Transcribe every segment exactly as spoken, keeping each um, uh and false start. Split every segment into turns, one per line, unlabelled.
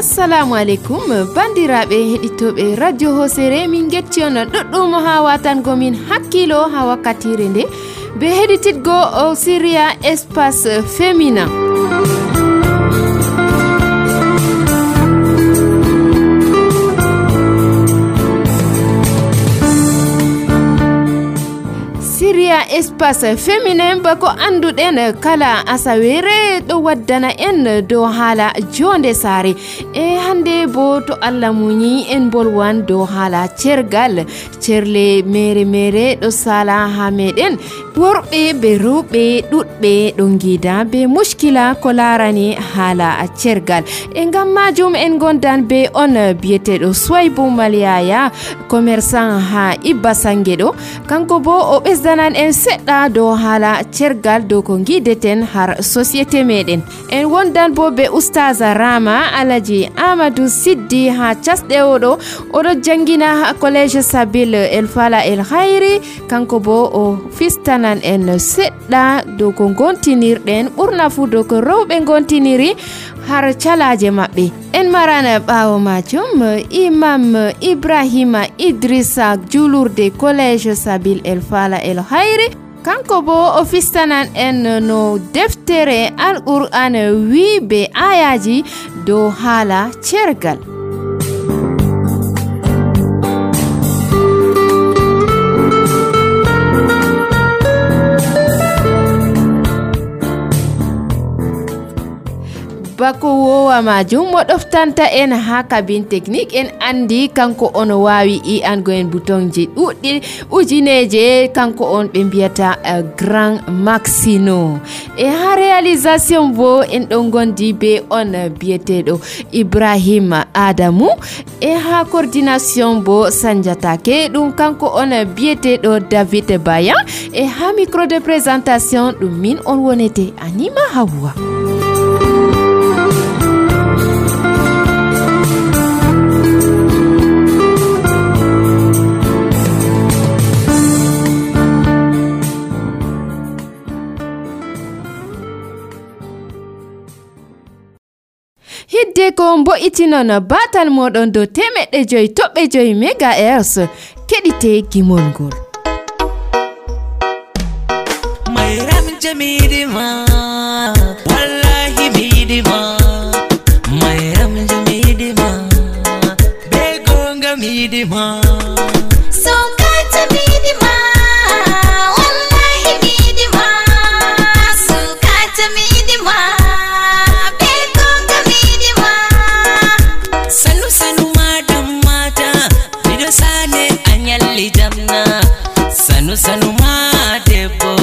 Assalamu alaikum bandiraɓe heɗitoɓe radio Hosere min getti on ɗuɗɗum ha watango min hakkilo ha wakkatire nde be heɗititgo o Syria espace féminin. Syria espace féminin bako anduɗen kala asawere ɗo waddana en dow haala jonde saare e hande bo to Allah muñi en bolwan dow haala cergal cerle mere mere ɗo sala ha meɗen worɓe be rewɓe ɗuɗɓe ɗo gida be mushkila ko larani haala cergal e ngam majum en gondan be on biyeteɗo Soaibou Maliaya commerçant ha Ibba Sange ɗo kanko bo o ɓesdanan en seɗɗa dow haala cergal dow ko gideten har société meɗen en wondan bo be Oustaza Rama Alaji Amadou Siddi ha casɗe oɗo oɗo jangina collège Sabil El Fala El Khairi kanko bo o fistanan en seɗɗa dow ko gontinirɗen ɓurna fu dow ko rewɓe gontiniri har calaje maɓɓe en marana ɓawo majum Imam Ibrahima Idrissa julurde collège Sabil El Fala El Khairi kanko bo o fistanan en no deftere Al-Qur'an wi be ayaji dow haala cergal. bako wowa majum mo ɗoftanta en ha cabine technique en andi kanko on wawi i ango en boutonji ɗuɗɗi ujineje kanko on ɓe mbiyata uh, grand Maxino e ha réalisation bo en ɗon gondi be on biyeteɗo Ibrahima Adamu e ha coordination bo sanjatake ɗum kanko on biyeteɗo David Bayan e ha micro de présentation ɗum min on wonete Anima Hawa. Hidde ko mbo'itinon batal moɗon dow temeɗɗe joyi toɓɓe joyi mégahertz keɗite gimol ngol.
Mayram jamidima wallahi midima Mayram jamidima be gonga midima
Sokata midima wallahi midima Sokata midima
Sanu sanu madam mata bido sane anyalli jamna Sanu sanu madebo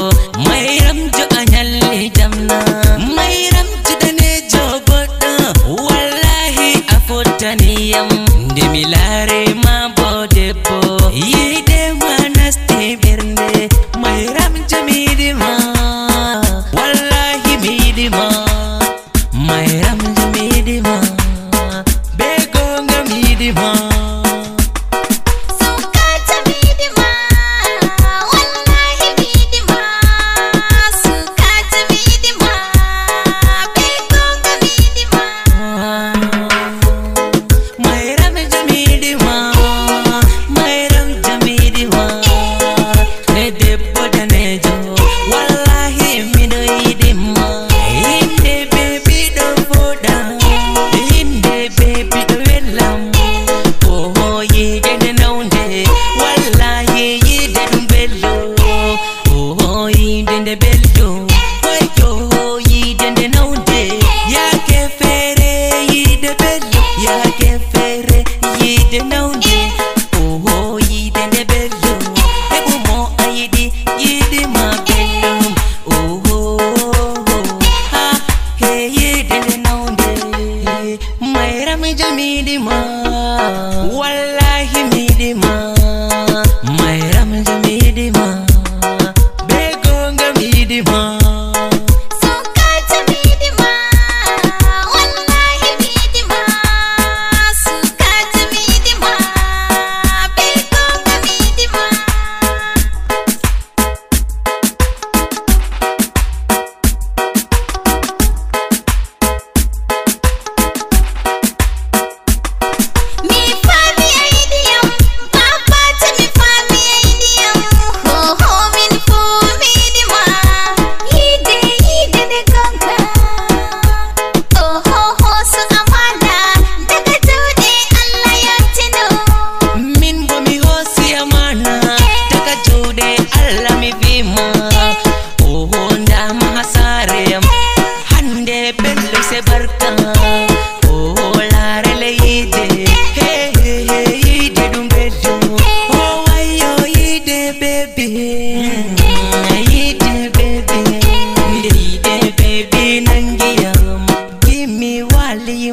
Mayram jo anyalli jamna Mayram jo danejo boddo wallahi afotaniyam nde milare ma bodebo yide manasti bernde Mayram jo midima wallahi midima Mayram jo midima
Sokata midima wallahi midima Sokata midima be gonga midima
Mayram jamidima Mayram jamidima ne debbo danejo wallahi miɗo yiɗima inde bebi ɗo foɗa inde bebi ɗo wellam oh yide nde nawnde wallahi yide ɗum bello oh yide nde bello wayyo yide nde nawnde yake feere yide bello yake feere yide nawnde oh yide nde bello heɓumo a yiɗi yiɗima belɗum oh ha he yide nde nawnde Mayram jamidima wallahi midima Mayram jamidima be gonga midima
Sokata midima wallahi midima Sokata midima be gonga midima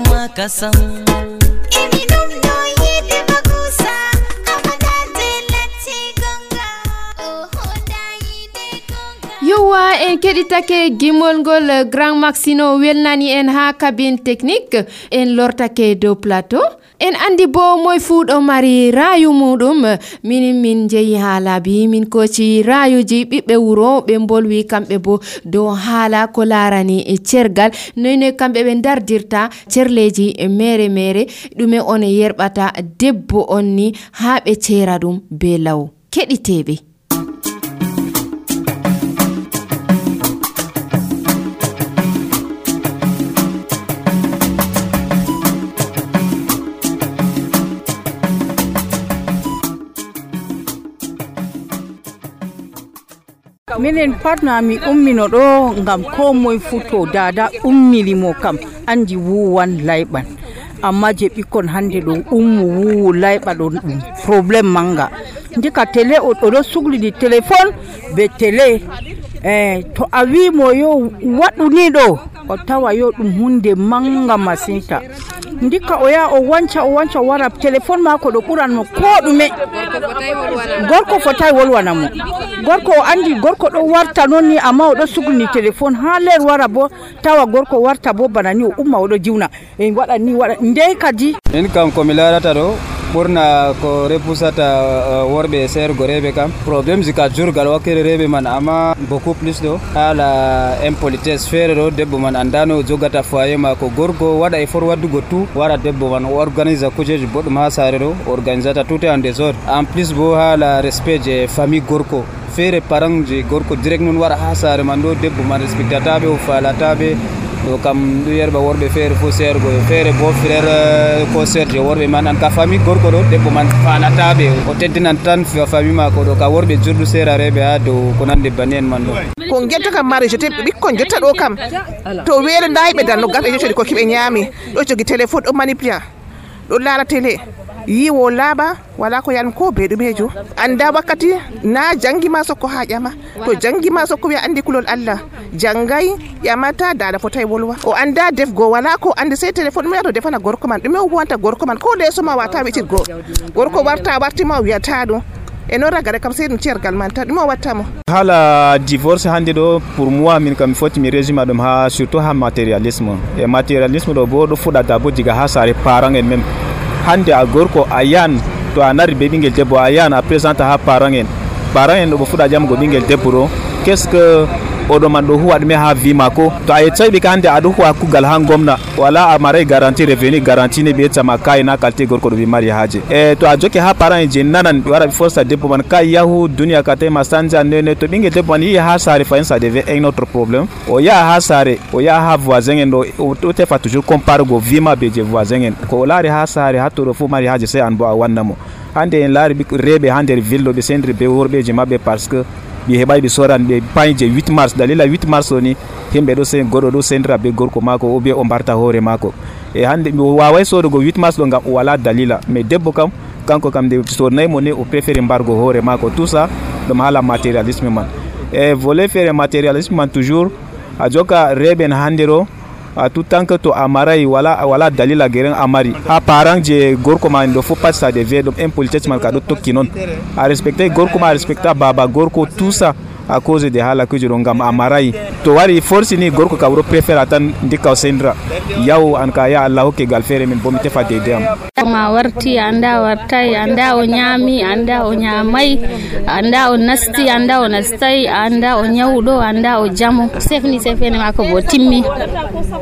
ma kasam
Emi ɗum ɗo yiɗi makusa Amada telati gonga Oho da yiɗi gonga
yowa en keɗitake gimol ngol Grand Maxino welnani en ha cabine technique en lortake dow plateau en andi bo moy fuu ɗo mari rayu muɗum min min jeeyi ha laabi min koci rayuji ɓiɓɓe wuro ɓe bolwi kamɓe bo dow haala ko larani e cergal noyne kamɓe ɓe dardirta cerleji mere mere ɗume on yerɓata debbo on ni ha ɓe cera ɗum be law keɗiteɓe
minen patna mi ummino ɗo ngam ko moye futo dada ummilimo kam andi wuwan layɓan amma je ɓikkon hande ɗo ummu wuwu layɓa ɗo ɗum probléme manga ndika télé oɗo suglidi téléphone be télé eh, to a wimo yo waɗu ni ɗo o tawa yo ɗum hunde manga masinta ndika o ya o wanca o wanca o wara téléphone mako ɗo ɓuranmo ko ɗume gorko fotai wolwanamo gorko o andi gorko ɗo warta noon ni amma oɗo suglini téléphone ha ler wara bo tawa gorko warta bo bana ni o umma oɗo jiwna en waɗa ni waɗa ndey kadi
en kam komi larata ɗo ɓurna ko repusata worɓe e sergo reɓe kam probléme ji ka jurgal wakkere reɓe man amma beaucoup plus ɗo haala impolitesse feere ɗo debbo man andano o jogata foyer mako gorko waɗa effort waddugo tout wara debbo man o organise kujeji boɗɗum ha saare ɗo organisata tout en désordre en plus bo haala respect je famille gorko feere parent je gorko direct noon wara ha saare man ɗo debbo man respectataɓe o falataɓe ɗo kam ɗum yerɓa worɓe feere fo sergo feere bo frère ko sœur je worɓe man an ka famille gorko ɗo debbo man falataɓe o teddinan tan famille mako ɗo ka worɓe jurɗu serareɓe ha dow ko nande bani en man ɗo
ko getta kam mari je ɓikkon jotta ɗo kam to weere dayiɓe danno gaɓe jottodi ko kiɓe ñaami ɗo jogi téléphone ɗo manipula ɗo laara télé yiwo laaɓa wala ko yan ko be ɗumejo anda wakkati na jangi ma sokko ha ƴama to jangi ma sokko wiya andi kulol Allah jangay ƴamata dada fotai wolwa o anda defgo wala ko andi sey téléphone mi to defana gorko man ɗume o wanta gorko man ko leso ma wata witirgo gorko warta wartima o wiyata ɗum e noon ragare kam sey ɗum cergal man tan ɗume o wattamo
haala divorce hande ɗo pour moi min kam mi foti mi résuma ɗum ha surtout ha matérialisme e matérialisme ɗo bo ɗo fuɗata bo diga ha saare parent en même hande a gorko a yan to a nari be ɓingel debbo a yan a présente ha parent en parent en ɗo ɓe fuɗa jamugo ɓingel debbo ɗo qu'est ce que oɗo man ɗo huwa ɗume ha vie mako to a yettai ka hande aɗo huwa kugal ha gomna wala a maray garantie revenu garantie ne ɓe yettama kayi na qualité gorko ɗo ɓe mari haje e to a jokke ha parent en je nanan ɓe wara ɓe forsta debbo man ka yahu duniya ka tawi ma sanja nene to ɓingel debbo man yihi ha saare fayin ça devait un autre problème o yaha ha saare o yaha ha voisin en ɗo o tefa toujours compare go vie ma be je voisin en ko o laari ha saare ha toɗo fo mari haje sey an bo a wannamo hande en laari reɓe ha nder ville ɗo ɓe sendiri be worɓeji mabɓe par ce que ɓe heɓay ɓe soran ɓe payi je huit mars dalila huit mars o ni himɓe ɗo sen goɗɗo ɗo sendira be gorko mako ou bien o mbarta hoore mako e hande mi waway sodugo huit mars ɗo ngam o wala dalila mais debbo kam kanko kam nde sodnayi mo ni o préféré mbargo hoore mako tout ça ɗum haala matérialisme man e volet feere matérialisme man toujours a jokka reɓen hande ɗo a tout tant que to a maray wala wala dalila gueren a mari ha parent je gorko ma ɗo fof pat ça devait ɗum impolitesse man ka ɗo tokki noon a respecté gorko ma a respecta baba gorko tout ça à cause de haala kuji ɗo ngam a maray to wari force ni gorko ka ɗo préféra tan ndikka o sendira yaw an ka ya Allah hokke gal feere min bo mi tefa deydey am
ma warti anda wartay anda o ñaami anda o ñaamay anda o nasti anda o nastay anda o ñawɗo anda o jamo sefni sefene mako bo timmi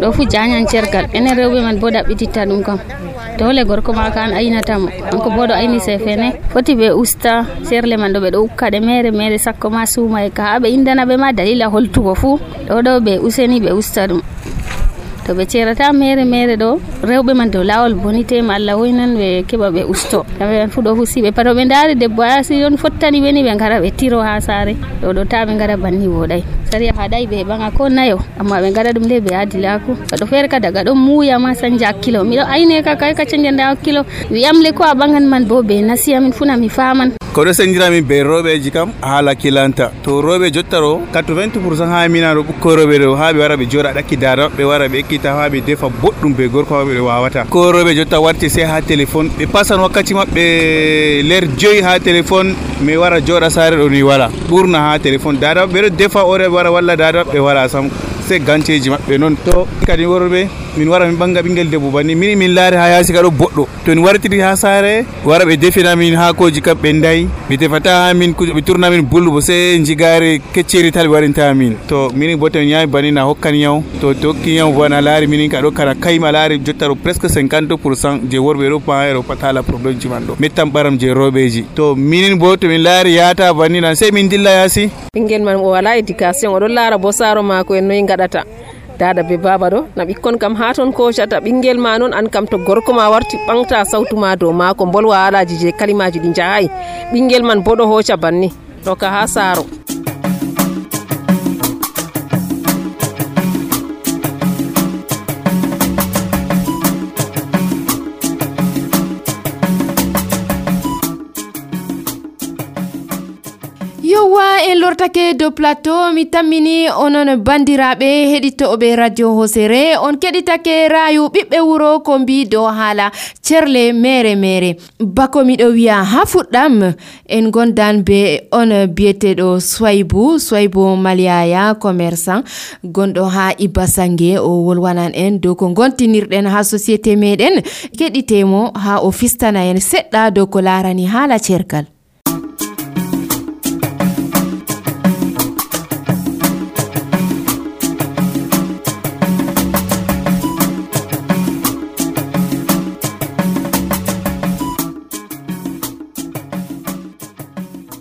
ɗo fu jañan cergal enen rewɓe man bo ɗaɓɓititta ɗum kam dole gorko ma kan aynatamo kanko bo ɗo ayni sefene foti ɓe usta serle man ɗo ɓe ɗo ukka ɗe mere mere sakko ma suuma e ka ha ɓe indana ɓe ma dalila holtugo fuu ɗo ɗo ɓe useni ɓe usta ɗum to ɓe cerata mere mere ɗo rewɓe man dow lawol bonitema Allah hoynan ɓe keɓa ɓe usto kamɓe man fu ɗo fu si ɓe pato ɓe daari debbo a si on fottani ɓe ni ɓe gara ɓe tiro ha saare ɗo ɗo ta ɓe gara banni woɗay sariya haɗay ɓe heɓanga ko nayo amma ɓe gara ɗum nde ɓe adilaku kaɗo feere ka daga ɗon muuya ma sanja hakkilo miɗo ayne ka kay ka canjanda hakkilo wiyamle ko a ɓagan man bo ɓe nasiyamin funa mi faman
ko ɗo sendiramin be rewɓeji kam haala kilanta to rewɓe jottaro quatre-vingts pourcent ha minano ɓukkoy rewɓe ɗo ha ɓe wara ɓe jooɗa ɗakki dada ɓe wara ɓe ekkita ha ɓe defa boɗɗum be gorko maɓɓe ɓe wawata ko rewɓe jotta warti sey ha téléphone ɓe pasan wakkati maɓɓe ler joyi ha téléphone mi wara jooɗa saare ɗo ni wala ɓurna ha téléphone dada ɓe ɗo defa ore wara walla dada ɓe wala sam c'est ganceji maɓɓe noon to kadi worɓe min wara min ɓanga ɓinguel debbo banni min min laari ha yaasi ka ɗo boɗɗo to min wartiri ha saare wara ɓe defina min haakoji kam ɓe ndayi mi tefata ha min ɓe tourna min bullubo sey jigare kecceri tal ɓe warinta min to minin bo to min ñaami banni na hokkan yaw to to hokki yaw bo na laari minin ka ɗo kana kayma laari jottaro presque cinquante pourcent je worɓe ɗo pahayro pat haala probléme ji man ɗo mettan ɓaram je rewɓeji to minin bo to min laari yata banni nan sey min dilla yaasi
ɓinguel man o wala éducation oɗon laara bo saaro mako en noyi gaɗata dada be baba ɗo na ɓikkon kam ha toon kocata ɓinguel ma noon an kam to gorko ma warti ɓamta sawtu ma dow mako bolwa haalaji je kalimaji ɗi jahayi ɓinguel man bo ɗo hoca banni ɗo ka ha saaro
yowa en lortake dow plateau mi tammini onon bandiraɓe heɗitoɓe radio hosere on keɗitake rayu ɓiɓɓe wuro ko mbi dow haala cerle mere mere bako miɗo wiya ha fuɗɗam en gondan be on biyeteɗo Soybou Soybou Maliaya commerçant gonɗo ha Iba Sangue o wolwanan en dow ko gontinirɗen ha société meɗen keɗitemo ha o fistana en seɗɗa dow ko larani haala cerkal.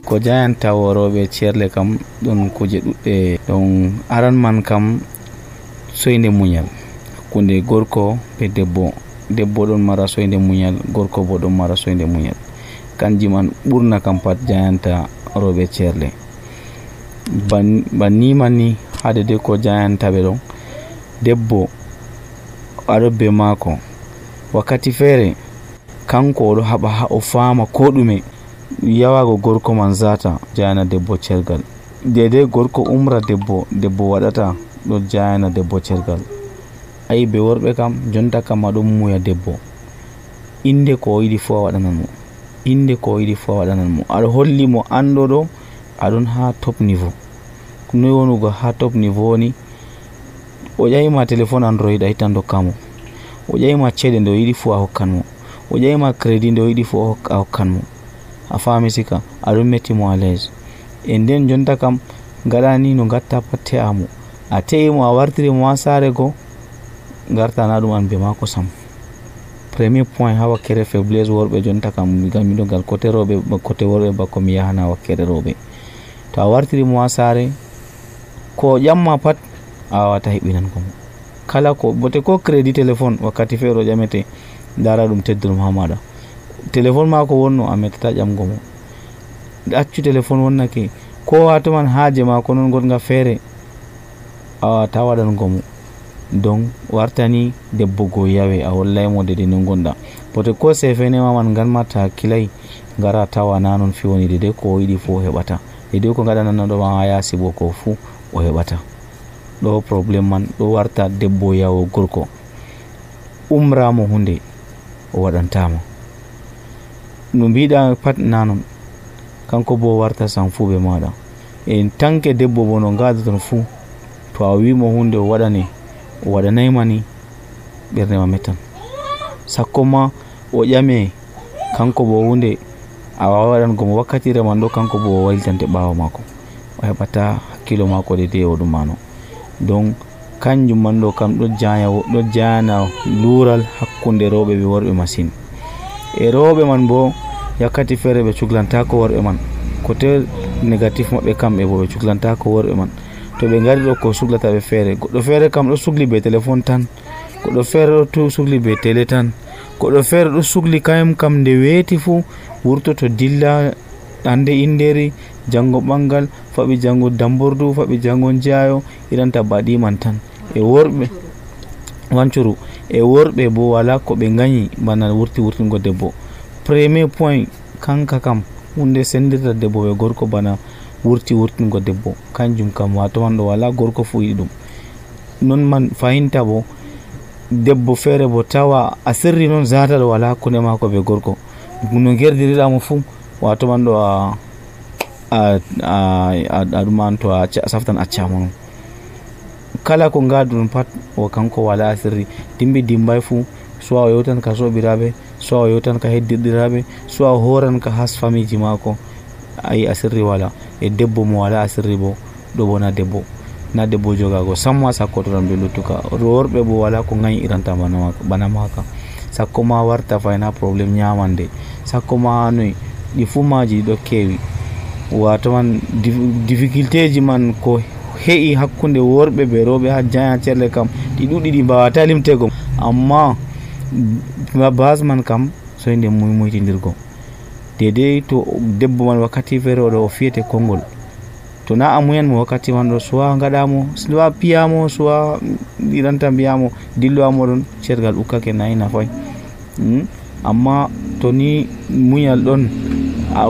ko jayanta woroɓe cerle kam ɗon kuje ɗuɗɗe ɗon aran man kam soyde muñal hakkunde gorko be debbo debbo ɗon mara soyde muñal gorko bo ɗon mara soyde muñal kanji man ɓurna kam pat jayanta roɓe cerle banni man ni hade de ko jayanta ɓe ɗon debbo aɗo be maako wakkati feere kanko oɗo haɓa ha o faama ko ɗume yawago gorko man zata jayana debbo cergal dede gorko umra debbo debbo waɗata ɗo jayana debbo cergal ayi be worɓe kam jonta kam aɗon muya debbo inde ko yiɗi fu a waɗanan mo inde ko yiɗi fu a waɗanan mo aɗa holli mo anɗo ɗo aɗon ha top niveau noyi wonugo ha top niveau ni o ƴayima téléphone android a hittan dokkamo o ƴayima ceeɗe nde o yiɗi fu a hokkan mo o ƴayima crédit nde o yiɗi fu a hokkan mo a faami sika aɗon metti mo à l'aise e nden jonta kam gaɗani no gatta pat te'amo a te'imo a wartiri mo ha saare go gartana ɗum an be mako sam premier point ha wakkere faiblesse worɓe jonta kam gam miɗo gal côté rewɓe côté worɓe bako mi yahana wakkere rewɓe to a wartiri mo ha saare ko ƴamma pat a wawata heɓinango mo kala ko bote ko crédit téléphone wakkati feere o ƴamete dara ɗum tedduɗum ha maɗa téléphone mako wonno a mettata ƴamgo mo accu téléphone wonnake ko watoman haaje mako non gonga feere a wawata waɗango mo donc wartani debbo go yawe a hollaymo dede no gonɗa bote ko sefenema man ganmata hakkilay ngara tawa na non fi woni dede ko yiɗi fo heɓata dede ko gaɗananaɗoma ha yaasi bo ko fuu o heɓata ɗo probléme man ɗo warta debbo yawo gorko umramo hunde o waɗantama no mbiɗa pat nanon kanko bo warta san fuu ɓe maɗa en tanke debbo bo no gadaton fuu to a wimo hunde o waɗane o waɗanayma ni ɓerdema mettan sakko ma o ƴame kanko bo hunde a wawa waɗango mo wakkatire man ɗo kanko bo o waylitante ɓawo mako o heɓata hakkilo mako de de o ɗum mano donc kanjum man ɗo kam ɗo jaya ɗo jayana lural hakkunde rewɓe ɓe worɓe machine e rewɓe man bo yakkati feere ɓe cuglantako worɓe man côté négatif maɓɓe kamɓe bo ɓe cuglantako worɓe man to ɓe ngari ɗo ko suglata ɓe feere goɗɗo feere kam ɗo sugli be téléphone tan goɗɗo feere ɗo sugli be télé tan goɗɗo feere ɗo sugli kayum kam nde weeti fuu wurtoto dilla hande inderi jango ɓangal faɓi jango dambordu faɓi jango jeyayo iranta baɗiman tan e worɓe wancuru e worɓe bo wala ko ɓe gañi bana wurti wurtingo debbo premier point kanka kam hunde sendirta debbo be gorko bana wurti wurtingo debbo kanjum kam wato man ɗo wala gorko fu yiɗi ɗum non man fahinta bo debbo feere bo tawa a sirri noon zata ɗo wala hakkunde mako be gorko no gerdiriramo fu wato man ɗo a a a ɗum an to a saftan accama non kala ko ngadu ɗum pat o kanko wala sirri dimbi dimbay fu so o yewtan ka sobiraɓe so o yewtan ka heddirɗiraɓe so o horan ka has famiji mako ayi asirri wala e debbo mo wala asirri bo ɗo bona debbo na debbo jogago samma sakko to tan be luttuka worɓe bo wala ko gayi iranta bana bana maka sakko ma warta fayna probléme nyamande sakko ma noy ɗi fu maji ɗo kewi wato man difficulté ji man ko he'i hakkunde worɓe be rewɓe ha jaya cerle kam ɗi ɗuɗi ɗi mbawata limtego amma base man kam soyde muymoytidirgo dede to debbo man wakkati feere oɗo o fiyete konngol to na a muyanmo wakkati man ɗo suwa gaɗamo suwa piyamo suwa ɗiranta mbiyamo dillowa ɗon cergal ukkake nayi nafay amma to ni muñal ɗon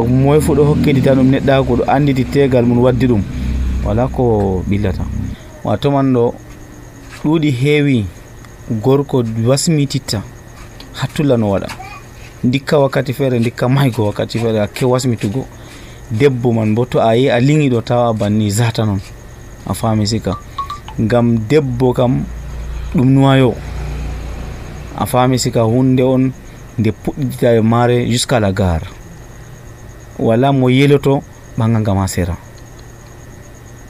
moye fu ɗo hokkidita ɗum neɗɗago ɗo anditi tegal mum waddi ɗum wala ko ɓillata wato man ɗo ɗuuɗi heewi gorko wasmititta hattula no waɗa dikka wakkati feere dikka maygo wakkati feere hakke wasmitugo debbo man bo to a yi a liŋi ɗo tawa banni zata non a faami sika ngam debbo kam ɗum nuwayo a faami sika hunde on nde puɗɗita e maare jusqu'à la gare wala mo yeloto ɓanga ngama sera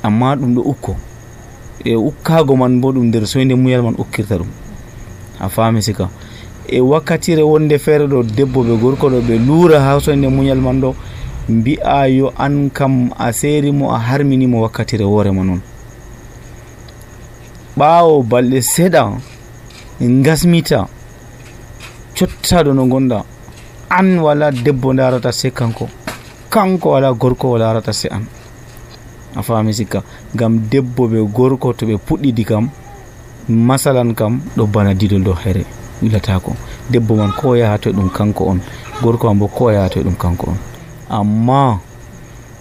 amma ɗum ɗo ukko e ukkago man bo ɗum nder soyde muyal man ukkirta ɗum a faami sika e wakkatire wonde feere ɗo debbo ɓe gorko ɗo ɓe luura ha soyde muñal man ɗo mbi'a yo an kam a seerimo a harminimo wakkatire woorema noon ɓaawo balɗe seeɗa gasmita cottaɗo no gonɗa an wala debbo darata se kanko kanko wala gorko wala darata se an a faami sikka ngam debbo ɓe gorko to ɓe puɗɗidi kam masalan kam ɗo bana didol dow here wilatako debbo man ko yahato ɗum kanko on gorko man bo ko yahato ɗum kanko on amma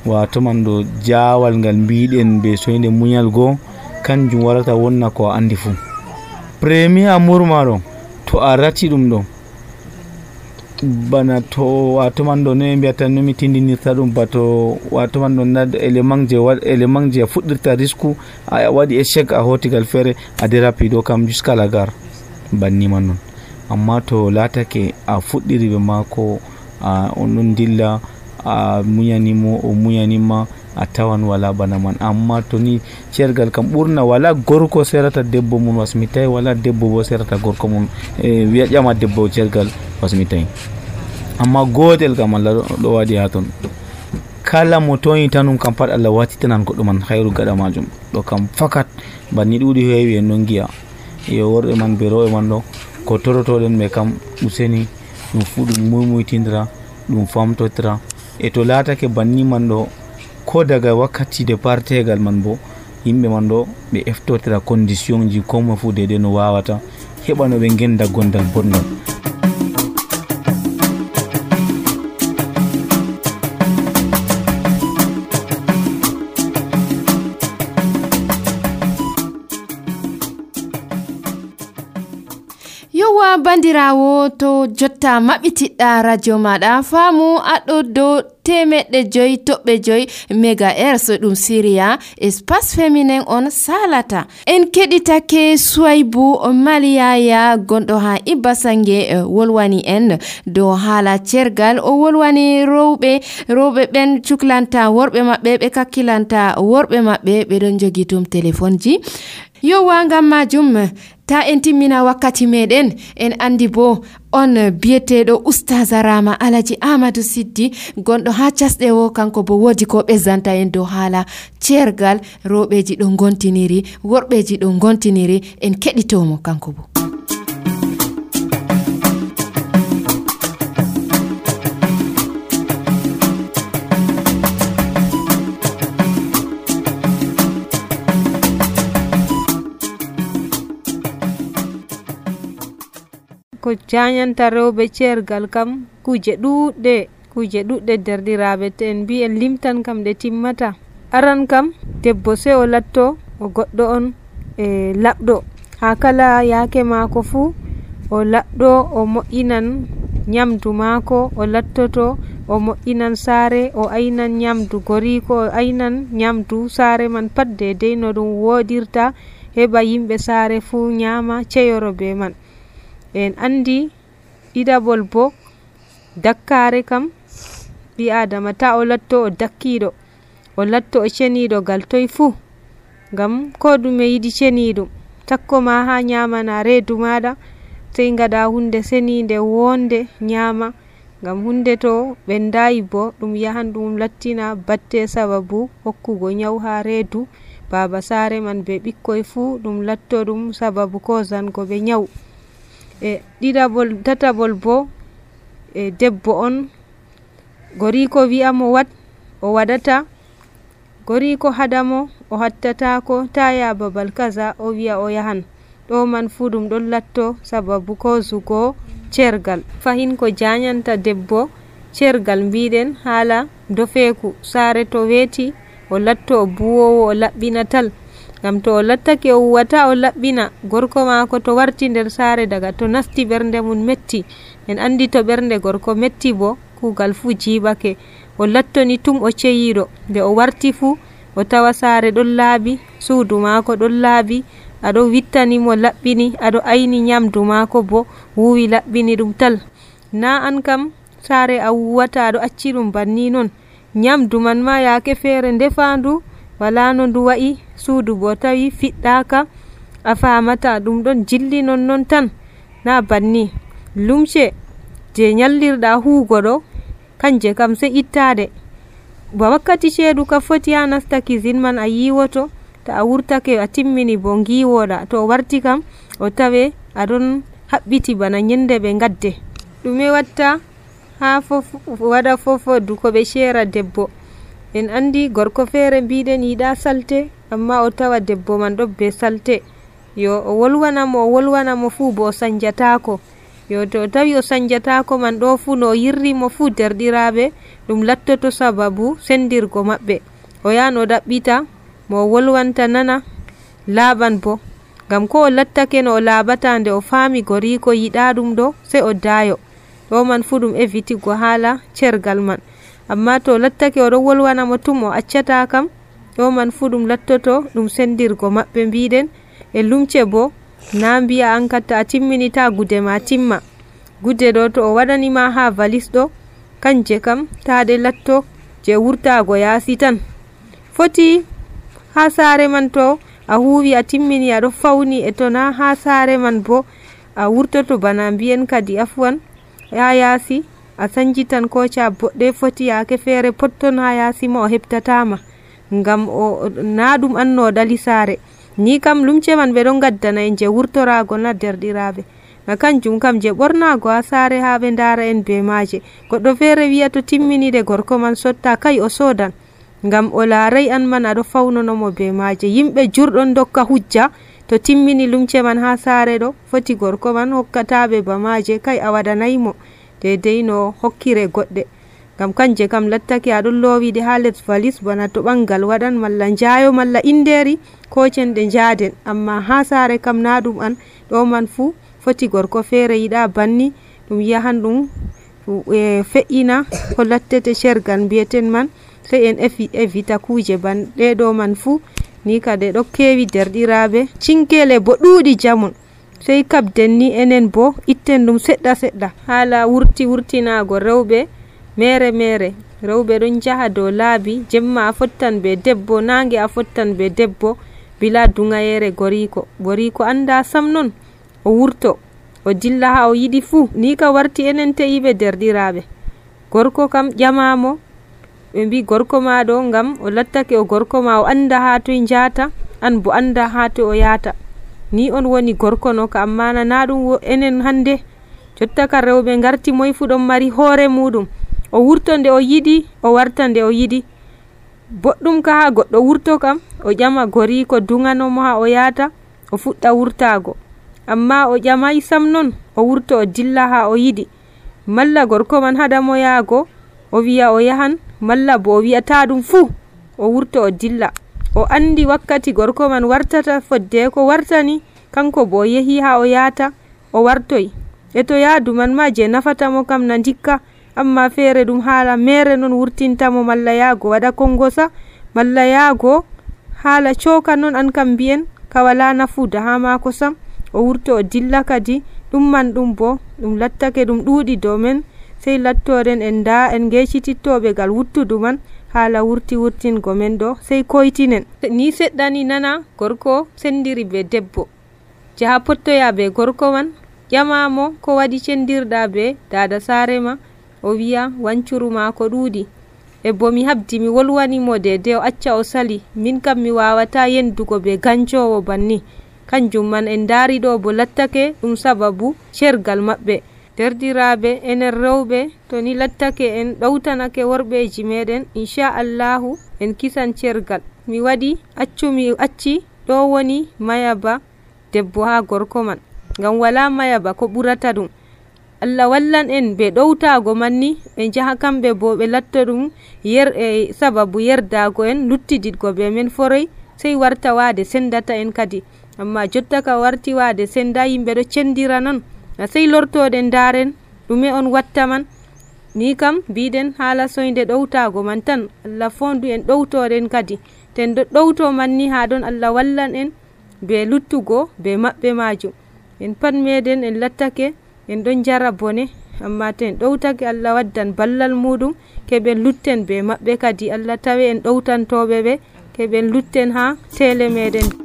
wato man ɗo jawal ngal mbiɗen be soyde muñal goo kanjum warata wonna ko a andi fu premier amour maɗo to a rati ɗum ɗo bana to wato man ɗo no mbiyata nomi tindinirta ɗum bato wato man ɗo nad élément je waɗ élément je fuɗɗirta risque a waɗi échec a hotigal feere a dérapi ɗo kam jusqu'à la gare banni man non amma to latake a fuɗɗiri ɓe mako a on ɗon dilla a muñanimo o muñanima a tawan wala bana man amma to ni cergal kam ɓurna wala gorko serata debbo mum wasmitay wala debbo bo serata gorko mum e wiya ƴama debbo cergal wasmitay amma gotel kam Allah ɗo waɗi ha ton kala mo toyita num kam pat Allah watitanan goɗɗo man hayru gaɗa majum ɗo kam fakat banni ɗuɗi heewi en non giya yo worɓe man be rewɓe man ɗo ko torotoɗen ɓe kam useni ɗum fu ɗum muymuytidira ɗum famtotira e to latake banni man ɗo ko daga wakkati de partegal man bo yimɓe man ɗo ɓe eftotira condition ji komo fu dede no wawata heɓa no ɓe genda gondal bongal
yowa bandirawo to jotta maɓɓitiɗɗa radio maɗa faamu aɗo dow temeɗɗe joyi toɓɓe joyi mégahertz ɗum syria espace féminin on salata en keɗitake Suwaybou Maliyaya gonɗo ha Ibasange wolwani en dow haala cergal o wolwani rewɓe rewɓe ɓen cuklanta worɓe maɓɓe ɓe kakkilanta worɓe maɓɓe ɓeɗon jogi tum téléphone ji yowa ngam majum ta en timmina wakkati meɗen en andi bo on biyeteɗo oustaz Rama Alaji Amadou Siddi gonɗo ha casɗe o kanko bo wodi ko ɓezzanta en dow haala cergal rewɓeji ɗo gontiniri worɓeji ɗo gontiniri en keɗitomo kanko bo.
ko jañanta rewɓe cergal kam kuje ɗuɗɗe kuje ɗuɗɗe derɗiraɓe to en mbi en limtan kam ɗe timmata. Aran kam debbo sey o latto o goɗɗo on e laɓɗo ha kala yaake maako fuu o laɗɗo o moƴƴinan nyamdu maako, o lattoto o moƴƴinan saare, o aynan nyamdu goriko, o aynan nyamdu saare man pat dedei no ɗum woɗirta, heɓa yimɓe saare fuu nyama ceyoro be man. En andi ɗiɗaɓol bo dakkare kam ɓi adama ta o latto o dakkiɗo, o latto o ceniɗo gal toye fuu, ngam ko ɗume yiɗi ceniɗum. Takko ma ha nyamana reedu maɗa sey ngaɗa hunde senide wonde nyama, ngam hunde to ɓendayi bo ɗum yahan ɗum lattina batte sababu hokkugo nyaw ha reedu baba saare man be ɓikkoy fuu, ɗum latto ɗum sababu kozango ɓe nyaw. E ɗiɗaɓol tataɓol bo e debbo on goriko wi'amo wat o waɗata, goriko haɗamo o hattatako ta ya babal kaza o wi'a o yahan, ɗo man fuu ɗum ɗon latto sababu kozugo cergal. Fahin ko janyanta debbo cergal mbiɗen hala dofeku, saare to weti o latto o buwowo o laɓɓina tal, ngam to o lattake o huwata o laɓɓina gorko mako to warti nder saare daga to nasti ɓernde mum metti. En andi to ɓernde gorko metti bo kugal fuu jiɓake. O lattoni tum o ceyiɗo, nde o warti fuu o tawa saare ɗon laaɓi, suudu maako ɗon laaɓi, aɗo wittanimo laɓɓini, aɗo ayni nyamdu maako bo wuwi laɓɓini ɗum tal. Na an kam saare a wuwata aɗo acci ɗum banni non, nyamdu man ma yaake feere ndefandu wala no ndu wa'i, suudu bo tawi fiɗɗaka a famata ɗum ɗon jilli non non tan, na banni. Lumce je nyallirɗa huugo ɗo kanje kam sey ittade, ba wakkati ceedu ka foti ha nasta cuisine man a yiwoto, to a wurtake a timmini bo ngiwoɗa, to o warti kam o tawe aɗon haɓɓiti bana nyende ɓe gadde. ɗume watta ha fof waɗa fofodu ko ɓe shera debbo? En andi gorko feere mbiɗen yiɗa salte, amma o tawa debbo man ɗo be salte, yo o wolwanamo o wolwanamo fuu bo o sanjatako, yo to o tawi o sanjatako man ɗo fuu no o yirrimo fuu derɗiraɓe ɗum lattoto sababu sendirgo maɓɓe. O yahan o ɗaɓɓita mo o wolwanta nana laaɓan bo, ngam ko o lattake no o laaɓata nde o faami goriko yiɗa ɗum ɗo sey o dayo. Ɗo man fuu ɗum evitigo haala cergal man, amma to lattake o ɗo wolwana mo tum o accata kam, ɗo man fuu ɗum lattoto ɗum sendirgo maɓɓe mbiɗen. E lumce bo na mbiya an katta a timminita gude ma timma, gude ɗo to o waɗanima ha valis ɗo kanje kam taɗe latto je wurtago yaasi tan. Foti ha saare man to a huwi a timmini aɗo fawni, e to na ha saare man bo a wurtoto bana mbiyen kadi afwan ha yaasi a sanjitan koca boɗɗe foti yaake feere potton ha yaasi ma o heɓtatama, ngam o na ɗum anno ɗali saare. Ni kam lumce man ɓe ɗon gaddana en je wurtorago na derɗiraɓe, na kanjum kam je ɓornago ha saare ha ɓe ndara en be maje. Goɗɗo feere wiya to timminide gorko man sotta, kai o sodan, ngam o laaray an man aɗo fawnonomo be maje. Yimɓe jurɗon dokka hujja to timmini lumce man ha saare ɗo foti gorko man hokkataɓe ba maje, kai a waɗanaymo dedei no hokkire goɗɗe, ngam kanje kam lattake aɗon lowiɗe ha les valis bana to ɓangal waɗan malla njayo malla inderi ko cenɗe njaden, amma ha saare kam na ɗum an. Ɗo man fuu foti gorko feere yiɗa banni ɗum yahan ɗum e fe'ina ko lattete shergal mbiyeten man, sey en evita kuje ban ɗe ɗo man fuu. Ni kade ɗo kewi derɗiraɓe, cinkele bo ɗuuɗi jamum, sey kabden ni enen bo itten ɗum seɗɗa seɗɗa haala wurti wurtinago rewɓe mere mere. Rewɓe ɗon jaha dow laabi, jemma a fottan be debbo, nange a fottan be debbo, bila dungayere goriko. Goriko anda sam non o wurto o dilla ha o yiɗi fuu. Ni ka warti enen teyiɓe derɗiraɓe, gorko kam ƴamamo ɓe mbi gorko ma ɗo, ngam o lattake o gorko ma o anda ha toye njata, an bo anda ha to o yata. Ni on woni gorko no ka, amma na ɗum enen hande. Jotta ka rewɓe garti moy fu ɗon mari hoore muɗum, o wurto nde o yiɗi o warta nde o yiɗi. Boɗɗum ka ha goɗɗo wurto kam o ƴama goriko dunganomo ha o yata o fuɗɗa wurtago, amma o ƴamay sam non o wurto o dilla ha o yiɗi, malla gorko man haɗamo yaago o wiya o yahan malla bo o wi'ata ɗum fuu o wurto o dilla. O andi wakkati gorko man wartata fodde ko wartani kanko bo o yehi ha o yata o wartoy. E to yaadu man ma je nafata mo kam na dikka, amma feere ɗum haala mere non wurtintamo, malla yaago waɗa kongosa, malla yaago haala coka non an kam mbiyen ka wala nafuda ha mako sam, o wurto o dilla kadi. Ɗum man ɗum bo ɗum lattake ɗum ɗuuɗi dow men, sey lattoren en da en gecitittoɓe gal wuttudu man haala wurti wurtingo men ɗo, sey koytinen. Ni seɗɗani nana gorko sendiri be debbo, jaha pottoya be gorko man, ƴamamo ko waɗi cendirɗa be dada sare ma, o wiya wancuru mako ɗuuɗi, e bo mi habdi mi wolwanimo dede o acca o sali, min kam mi wawata yendugo be gancowo banni. Kanjum man en dari ɗo bo lattake ɗum sababu cergal maɓɓe. Derdiraɓe enen rewɓe to ni lattake en ɗowtanake worɓeji meɗen, inchallahu en kisan cergal. Mi waɗi accumi acci ɗo woni mayaba debbo ha gorko man, ngam wala mayaba ko ɓurata ɗum. Allah wallan en be ɗowtago manni ɓe jaha kamɓe bo ɓe latto ɗum yer e sababu yerdago en luttididgo be men foroy, sey warta wade sendata en kadi. Amma jotta ka warti wade senda, yimɓe ɗo cendira non, na sey lortoɗen daren ɗume on watta man. Ni kam biɗen haala soyde ɗowtago man tan, Allah fondu en ɗowtoɗen kadi. Ten ɗo ɗowto manni ha ɗon Allah wallan en be luttugo be maɓɓe majum. En pat meɗen en lattake en ɗon jara bone, amma to en ɗowtake Allah waddan ballal muɗum keɓen lutten be maɓɓe kadi. Allah tawe en ɗowtantoɓe ɓe keɓen lutten ha tele meɗen.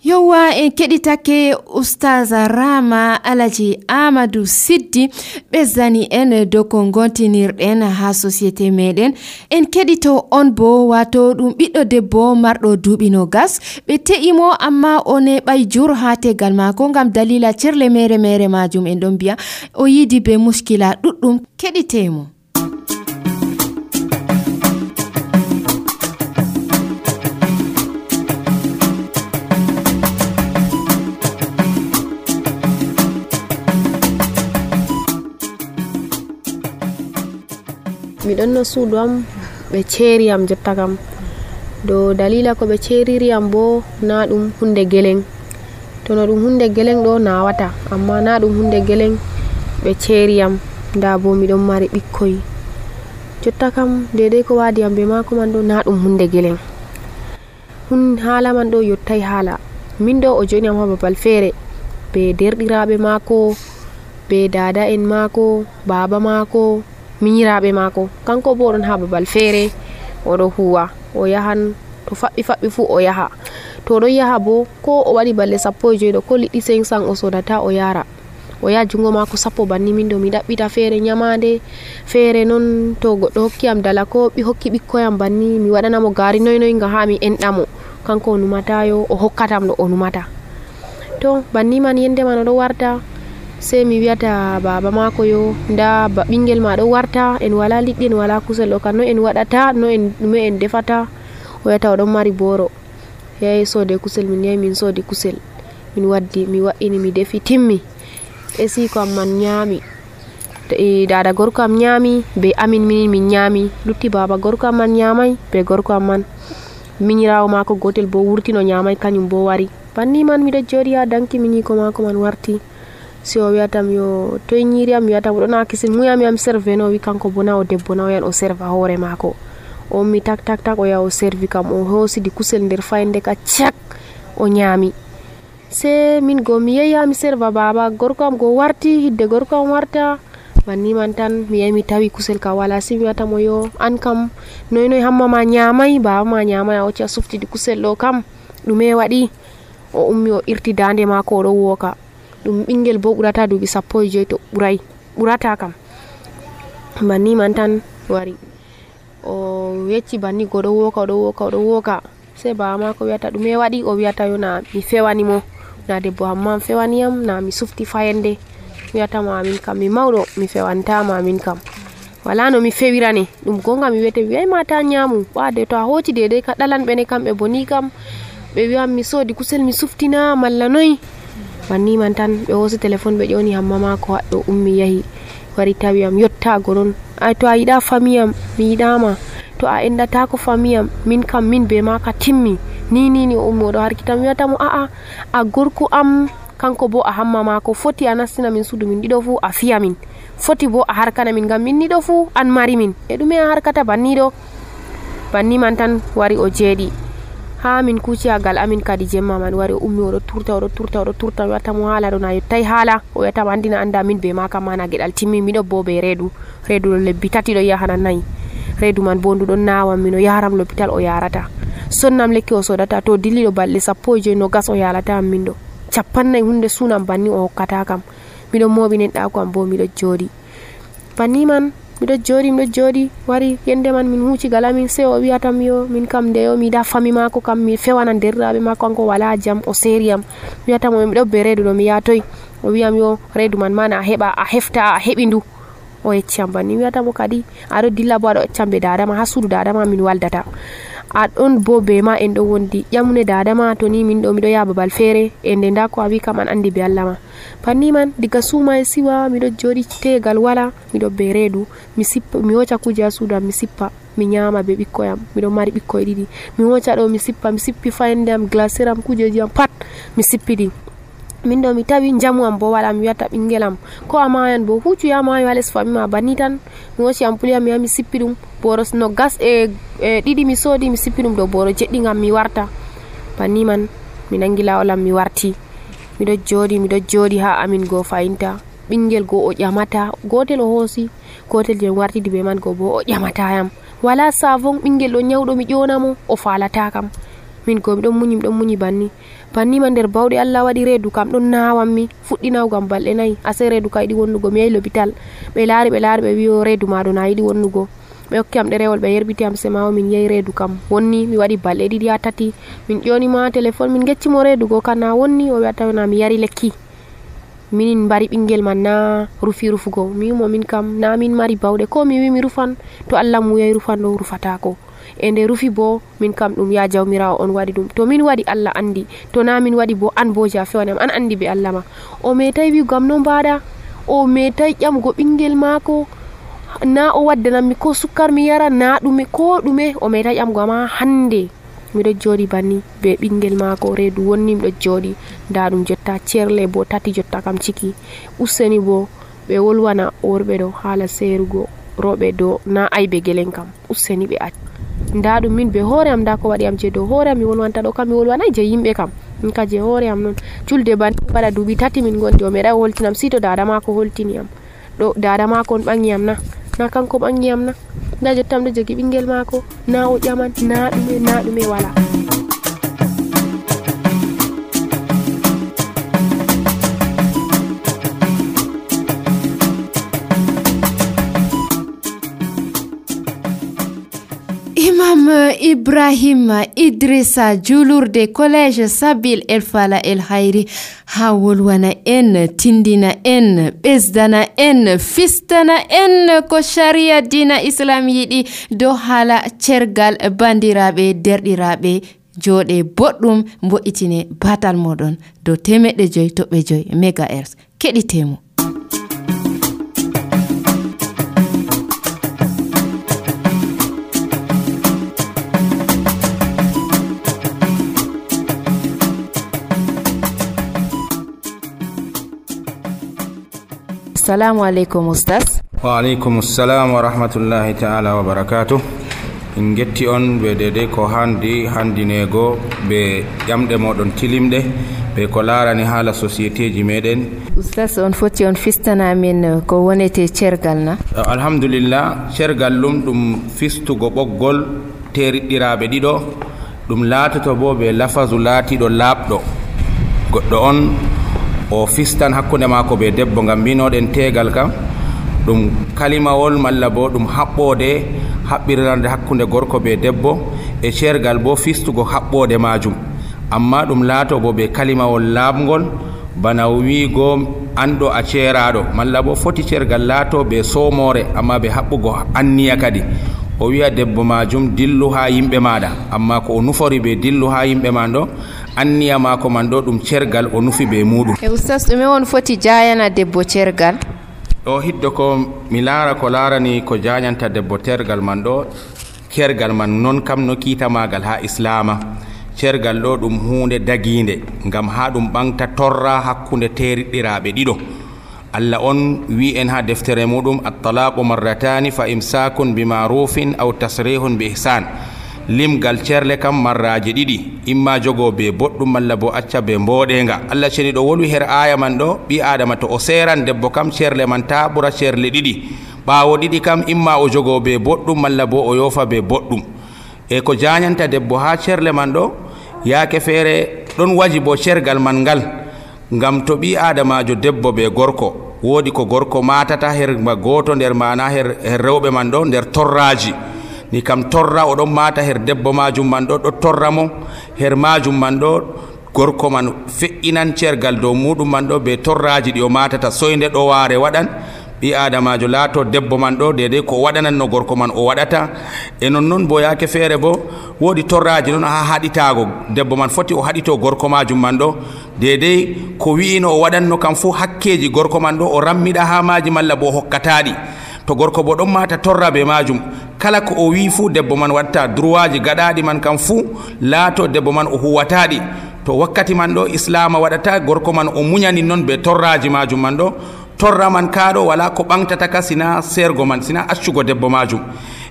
Yowa en keɗitake Ustaza Rama Alaji Amadou Siddi ɓezzani en dow ko gontinirɗen ha société meɗen. En keɗito on bo wato ɗum ɓiɗɗo debbo marɗo duuɓi no gas, ɓe te'imo amma o neɓay jur ha tegal mako ngam dalila cerle mere mere majum. En ɗon mbiya o yidi be muskila ɗuɗɗum. Keɗitemo.
mi ɗon no suudu am ɓe ceeri am jotta kam, do dalila ko ɓe ceeriri am bo na ɗum hunde geleng. To no ɗum hunde geleng ɗo nawata, amma na ɗum hunde geleng ɓe ceeri am. Nda bo miɗon mari ɓikkoy jotta kam, dedei ko wadi am be mako man ɗo na ɗum hunde geleng. Hun haala man ɗo yottai haala. Min ɗo o joni am ha babal feere be derɗiraɓe mako, be dada en mako, baba mako, miñiraɓe mako. Kanko bo ɗon ha babal feere oɗo huwa, o yahan to faɓɓi faɓɓi fu o yaha. To oɗon yaha bo ko o waɗi balle sappo e joyi ɗo, ko liɗɗi cinq cent o sodata o yara, o yaha jungo mako sappo banni. Min ɗo mi ɗaɓɓita feere nyamande, feere non to goɗɗo hokki am dala ko ɓi hokki ɓikkoyam banni mi waɗanamo gari noy noy ngam ha mi enɗamo. Kanko o numatayo o hokkatam ɗo o numata. To banni man yende man oɗo warta, sei mi wiyata baba mako yo nda ɓingel ma ɗo warta, en wala liɗɗi en wala kusel ɗo, kan no en waɗata, no en ɗume en defata. O wiyata oɗon mari boro, yahi sode kusel. Min yahi min sodi kusel, min waddi mi wa'ini mi defi timmi. E siko am man nyami, e dada gorko am nyami, be amin min min nyami, lutti baba gorko am man nyamai, be gorko am man miñirawo mako gotel bo wurti no nyamai, kanyum bo wari. Banni man miɗo joɗi ha danki miñiko mako man warti. Si o wiyatam yo toye ñiiri am, mi wiyatam ɗo na kisin muyami am serve no, wi kanko bo na o debbo na, o yan o serva hoore mako. O mi tak tak tak o yaha o servi kam, o hosidi kusel nder fayande ka cak o nyami. Se min go mi yehi ha mi serva baba gorko am go warti, hidde gorko am warta. Banni man tan mi yahi mi tawi kusel ka wala. Si mi wiyatam o yo an kam noy noy hamma ma nyamai, baba ma nyamai, a wacci a suftidi kusel ɗo kam ɗume waɗi. O ummi o irti dande mako o ɗo woka. Ɗum ɓingel bo ɓurata duuɓi sappo e joyi to ɓuray, ɓurata kam. Banni man tan wari o yecci banni go ɗo woka oɗo woka oɗo woka. Sei baba mako wiyata ɗume waɗi, o wiyata yo na mi fewanimo, na debbo amma fewaniyam, na mi sufti fayande. Wiyatama min kam mi mawɗo mi fewantama min kam. wala no mi fewirane ɗum gonga mi wiyete mi wiyai mata nyamu ɓade to a hoti dedai ka ɗalan ɓene kamɓe boni kam ɓe wiyan mi sodi kusel mi suftina malla noyi banni man tan ɓe hosi téléphone ɓe ƴoni hamma mako haɗɗo ummi yahi wari tawiyam yottago non ay to a yiɗa famiyam mi yiɗama to a endatako famiyam min kam min be maka timmi ni ni ni o ummi oɗo harkita mi wiyatamo aa a gorko am kanko bo a hamma mako foti a nastina min suudu min ɗiɗo fu a fiya min foti bo a harkana min gam min ɗiɗo fu an mari min e ɗume a harkata banni ɗo banni man tan wari o jeeɗi ha min kuciyagal amin kadi jemma man wari o ummi oɗo turta oɗo turta oɗo turta mi wiyatamo haala ɗo na yettai haala o wiyatamo andina anda min be maka mana gueɗal timmi miɗo bo be reedu reedu ɗo lebbi tati ɗo yahana nayyi reedu man bo nduɗon nawam min o yaram l'hôpital o yarata sonnam lekki o sodata to dilliɗo balɗe sappo e joyi no gas o yalata min ɗo capannayyi hunde sunam banni o hokkata kam miɗo moɓinen ɗako am bo miɗo jooɗi banni man miɗo jooɗi miɗo jooɗi wari yende man min huucigal amin se o wiyatam yo min kam nde yo mi yiɗa fami mako kam mi fewana derɗiraɓe mako kanko wala jam o seriyam mi wiyatamo miɗo be reedu ɗo mi yatoy o wiyam yo reedu man mana a heɓa a hefta a heɓi ndu o yecciyam banni mi wiyatamo kadi aɗo dilla bo aɗo accam be dadama ha suudu dadama min waldata aɗon bo be ma en ɗo wondi ƴamune dadama to ni min ɗo miɗo yaha babal feere e nde nda ko a wi kam an andi be Allah ma banni man diga suuma e siwa miɗo jooɗi tegal wala miɗo be reedu mi sippa mi hoca kuje ha suudu am mi sippa mi nyama be ɓikkoyam miɗo mari ɓikkoye ɗiɗi mi hoca ɗo mi sippa mi sippi fayande am glaciére am kujeji am pat mi sippiɗi min ɗo mi tawi jamu am bo wala mi wiyata ɓinguel am ko a mayan bo huccu ya mayo ha less fami ma banni tan mi hoci ampuli am mi yaha mi sippi ɗum boro no gas e ɗiɗi mi soodi mi sippi ɗum ɗo boro jeɗɗi gam mi warta banni man mi nangi lawol am mi warti miɗo jooɗi miɗo jooɗi ha amin go fayinta ɓinguel go o ƴamata gotel o hoosi gotel je wartidi be man go bo o ƴamatayam wala savon ɓinguel ɗo nyawɗo mi ƴonamo o falata kam min go miɗon muñi miɗon muñi banni banni man nder bawɗe Allah waɗi reedu kam ɗon nawammi fuɗɗi nawgam balɗe nayyi ase reedu ka yiɗi wonnugo mi yahi l'hôpital ɓe laari ɓe laari ɓe wi o reedu maɗo na yiɗi wonnugo ɓe hokki am ɗerewol ɓe yerbiti am semawo min yehi reedu kam wonni mi waɗi balɗe ɗiɗi ha tati min ƴonimo ha téléphone min geccimo reedu go kam na wonni o wiyata na mi yari lekki min mbari ɓinguel man na rufi rufugo mi wimo min kam na min mari bawɗe ko mi wi mi rufan to Allah mu yahi rufan ɗo rufatako e nde rufi bo min kam ɗum ya jawmirawo on waɗi ɗum to min waɗi Allah andi to na min waɗi bo an bo ja fewanam an andi be Allah ma o metai wi gam no mbaɗa o metai ƴamgo ɓinguel mako na o waddanammi ko sukkar mi yara na ɗume ko ɗume o metai ƴamgo ama hande miɗo jooɗi banni be ɓinguel mako reedu wonni miɗo jooɗi nda ɗum jotta cerle bo tati jotta kam ciki useni bo ɓe wolwana worɓe ɗo haala serugo roɓe do na aybe gelen kam useni ɓe acc nda ɗum min be hoore am nda ko waɗi am je dow hoore am mi wolwanta ɗo kam mi wolwanai je yimɓe kam min ka je hoore am non julde banni waɗa duuɓi tati min gondi o meɗai holtinam sito dada mako holtini am ɗo dada mako on ɓangi am na na kanko ɓangi am na nda jottam ɗo jogi ɓinguel mako na o ƴaman na ɗume na ɗume wala
Imam Ibrahim Idrissa julurde collège Sabil El Fala El Hayri ha wolwana en tindina en ɓesdana en fistana en ko sharia dina islam yiɗi dow haala cergal bandiraɓe derɗiraɓe jooɗe boɗɗum mbo'itine batal moɗon dow temeɗɗe joyi toɓɓe joyi mégahertz keɗitemo. Assalamu alaikum ustaz.
Wa alaikum assalam wa rahmatullahi ta'ala wa barakatuh. In getti on be dede ko handi handinego be jamde modon tilimde be ko larani hala société ji meden.
Ustaz on foti on fistana min ko wonete cergal na.
Alhamdulillah cergal lum dum fistugo boggol teridirabe dido dum latato bo be lafazu latido labdo goddo on o fistan hakkunde mako be debbo ngam mbinoɗen tegal kam ɗum kalimawol malla bo ɗum haɓɓode haɓɓirande hakkunde gorko be debbo e cergal bo fistugo haɓɓode majum amma ɗum laato bo be kalimawol laabgol bana wiigo an ɗo a ceeraɗo malla bo foti ceergal laato ɓe somore amma ɓe haɓɓugo anniya kadi o wiya debbo majum dillu ha yimɓe maɗa amma ko o nufori ɓe dillu ha yimɓe man ɗo anniya mako man ɗo ɗum ceergal o nufi ɓe muɗum.
e ustas ɗume on foti jayana debbo ceergal?
ɗo hiddo ko mi laara ko laarani ko jañanta debbo tergal man ɗo ceergal man non kam no kiita magal ha islama. ceergal ɗo ɗum hunde daginde ngam ha ɗum ɓamta torra hakkunde teriɗɗiraɓe ɗiɗo. Allah on wi en ha deftere muɗum at-talaqu marratani fa imsakun bi ma'rufin aw tasrihun bi ihsan. limgal ceerle kam marraji ɗiɗi imma jogo be boɗɗum malla bo acca be mboɗenga. Allah ceni ɗo wolwi her aya man ɗo ɓi adama to o seran debbo kam ceerle man ta ɓura ceerle ɗiɗi ɓawo ɗiɗi kam imma o jogo be boɗɗum malla bo o yofa be boɗɗum. e ko jañanta debbo ha ceerle man ɗo yaake feere ɗon waji bo ceergal man ngal ngam to ɓi adamajo debbo be gorko woodi ko gorko matata her goto nder mana her, her rewɓe man ɗo nder torraji ni kam torra oɗon mata her debbo majum man ɗo ɗo torra mo her majum man ɗo gorko man fe'inan ceergal dow muɗum man ɗo be torraji ɗi o matata soyde ɗo waare waɗan ɓi adamajo laato debbo man ɗo dedei ko waɗananno gorko man o waɗata. e nonnoon bo yaake feere bo woodi torraji noon ha haɗitago debbo man foti o haɗito gorko majum man ɗo dedei ko wi'ino o waɗanno kam fuu hakkeji gorko man ɗo o rammiɗa ha maji malla bo o hokkataɗi. to gorko bo ɗon mata torra be majum kala ko o wi fuu debbo man watta droit ji gaɗaɗi man kam fuu laato debbo man o huwataɗi. to wakkati man ɗo islama waɗata gorko man o muñani noon be torraji majum man ɗo torra man kaɗo wala ko ɓamtata ka sina sergo man sina accugo debbo majum.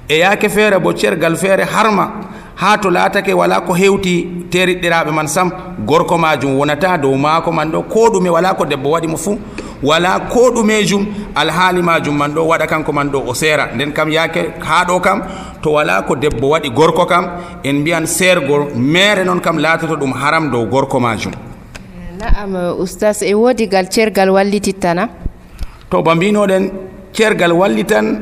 e yaake feere bo ceergal feere harma ha to laatake wala ko hewti teriɗɗiraɓe man sam gorko majum wonata dow maako man ɗo ko ɗume wala ko debbo waɗi mo fuu wala ko ɗumejum alhaali majum man ɗo waɗa kanko man ɗo o seera. nden kam yaake ha ɗo kam to wala ko debbo waɗi gorko kam en mbiyan sergo mere noon kam laatoto ɗum haram dow gorko majum.
na'am ustas e woodi gal ceergal wallitittana
to ba mbinoɗen ceergal wallitan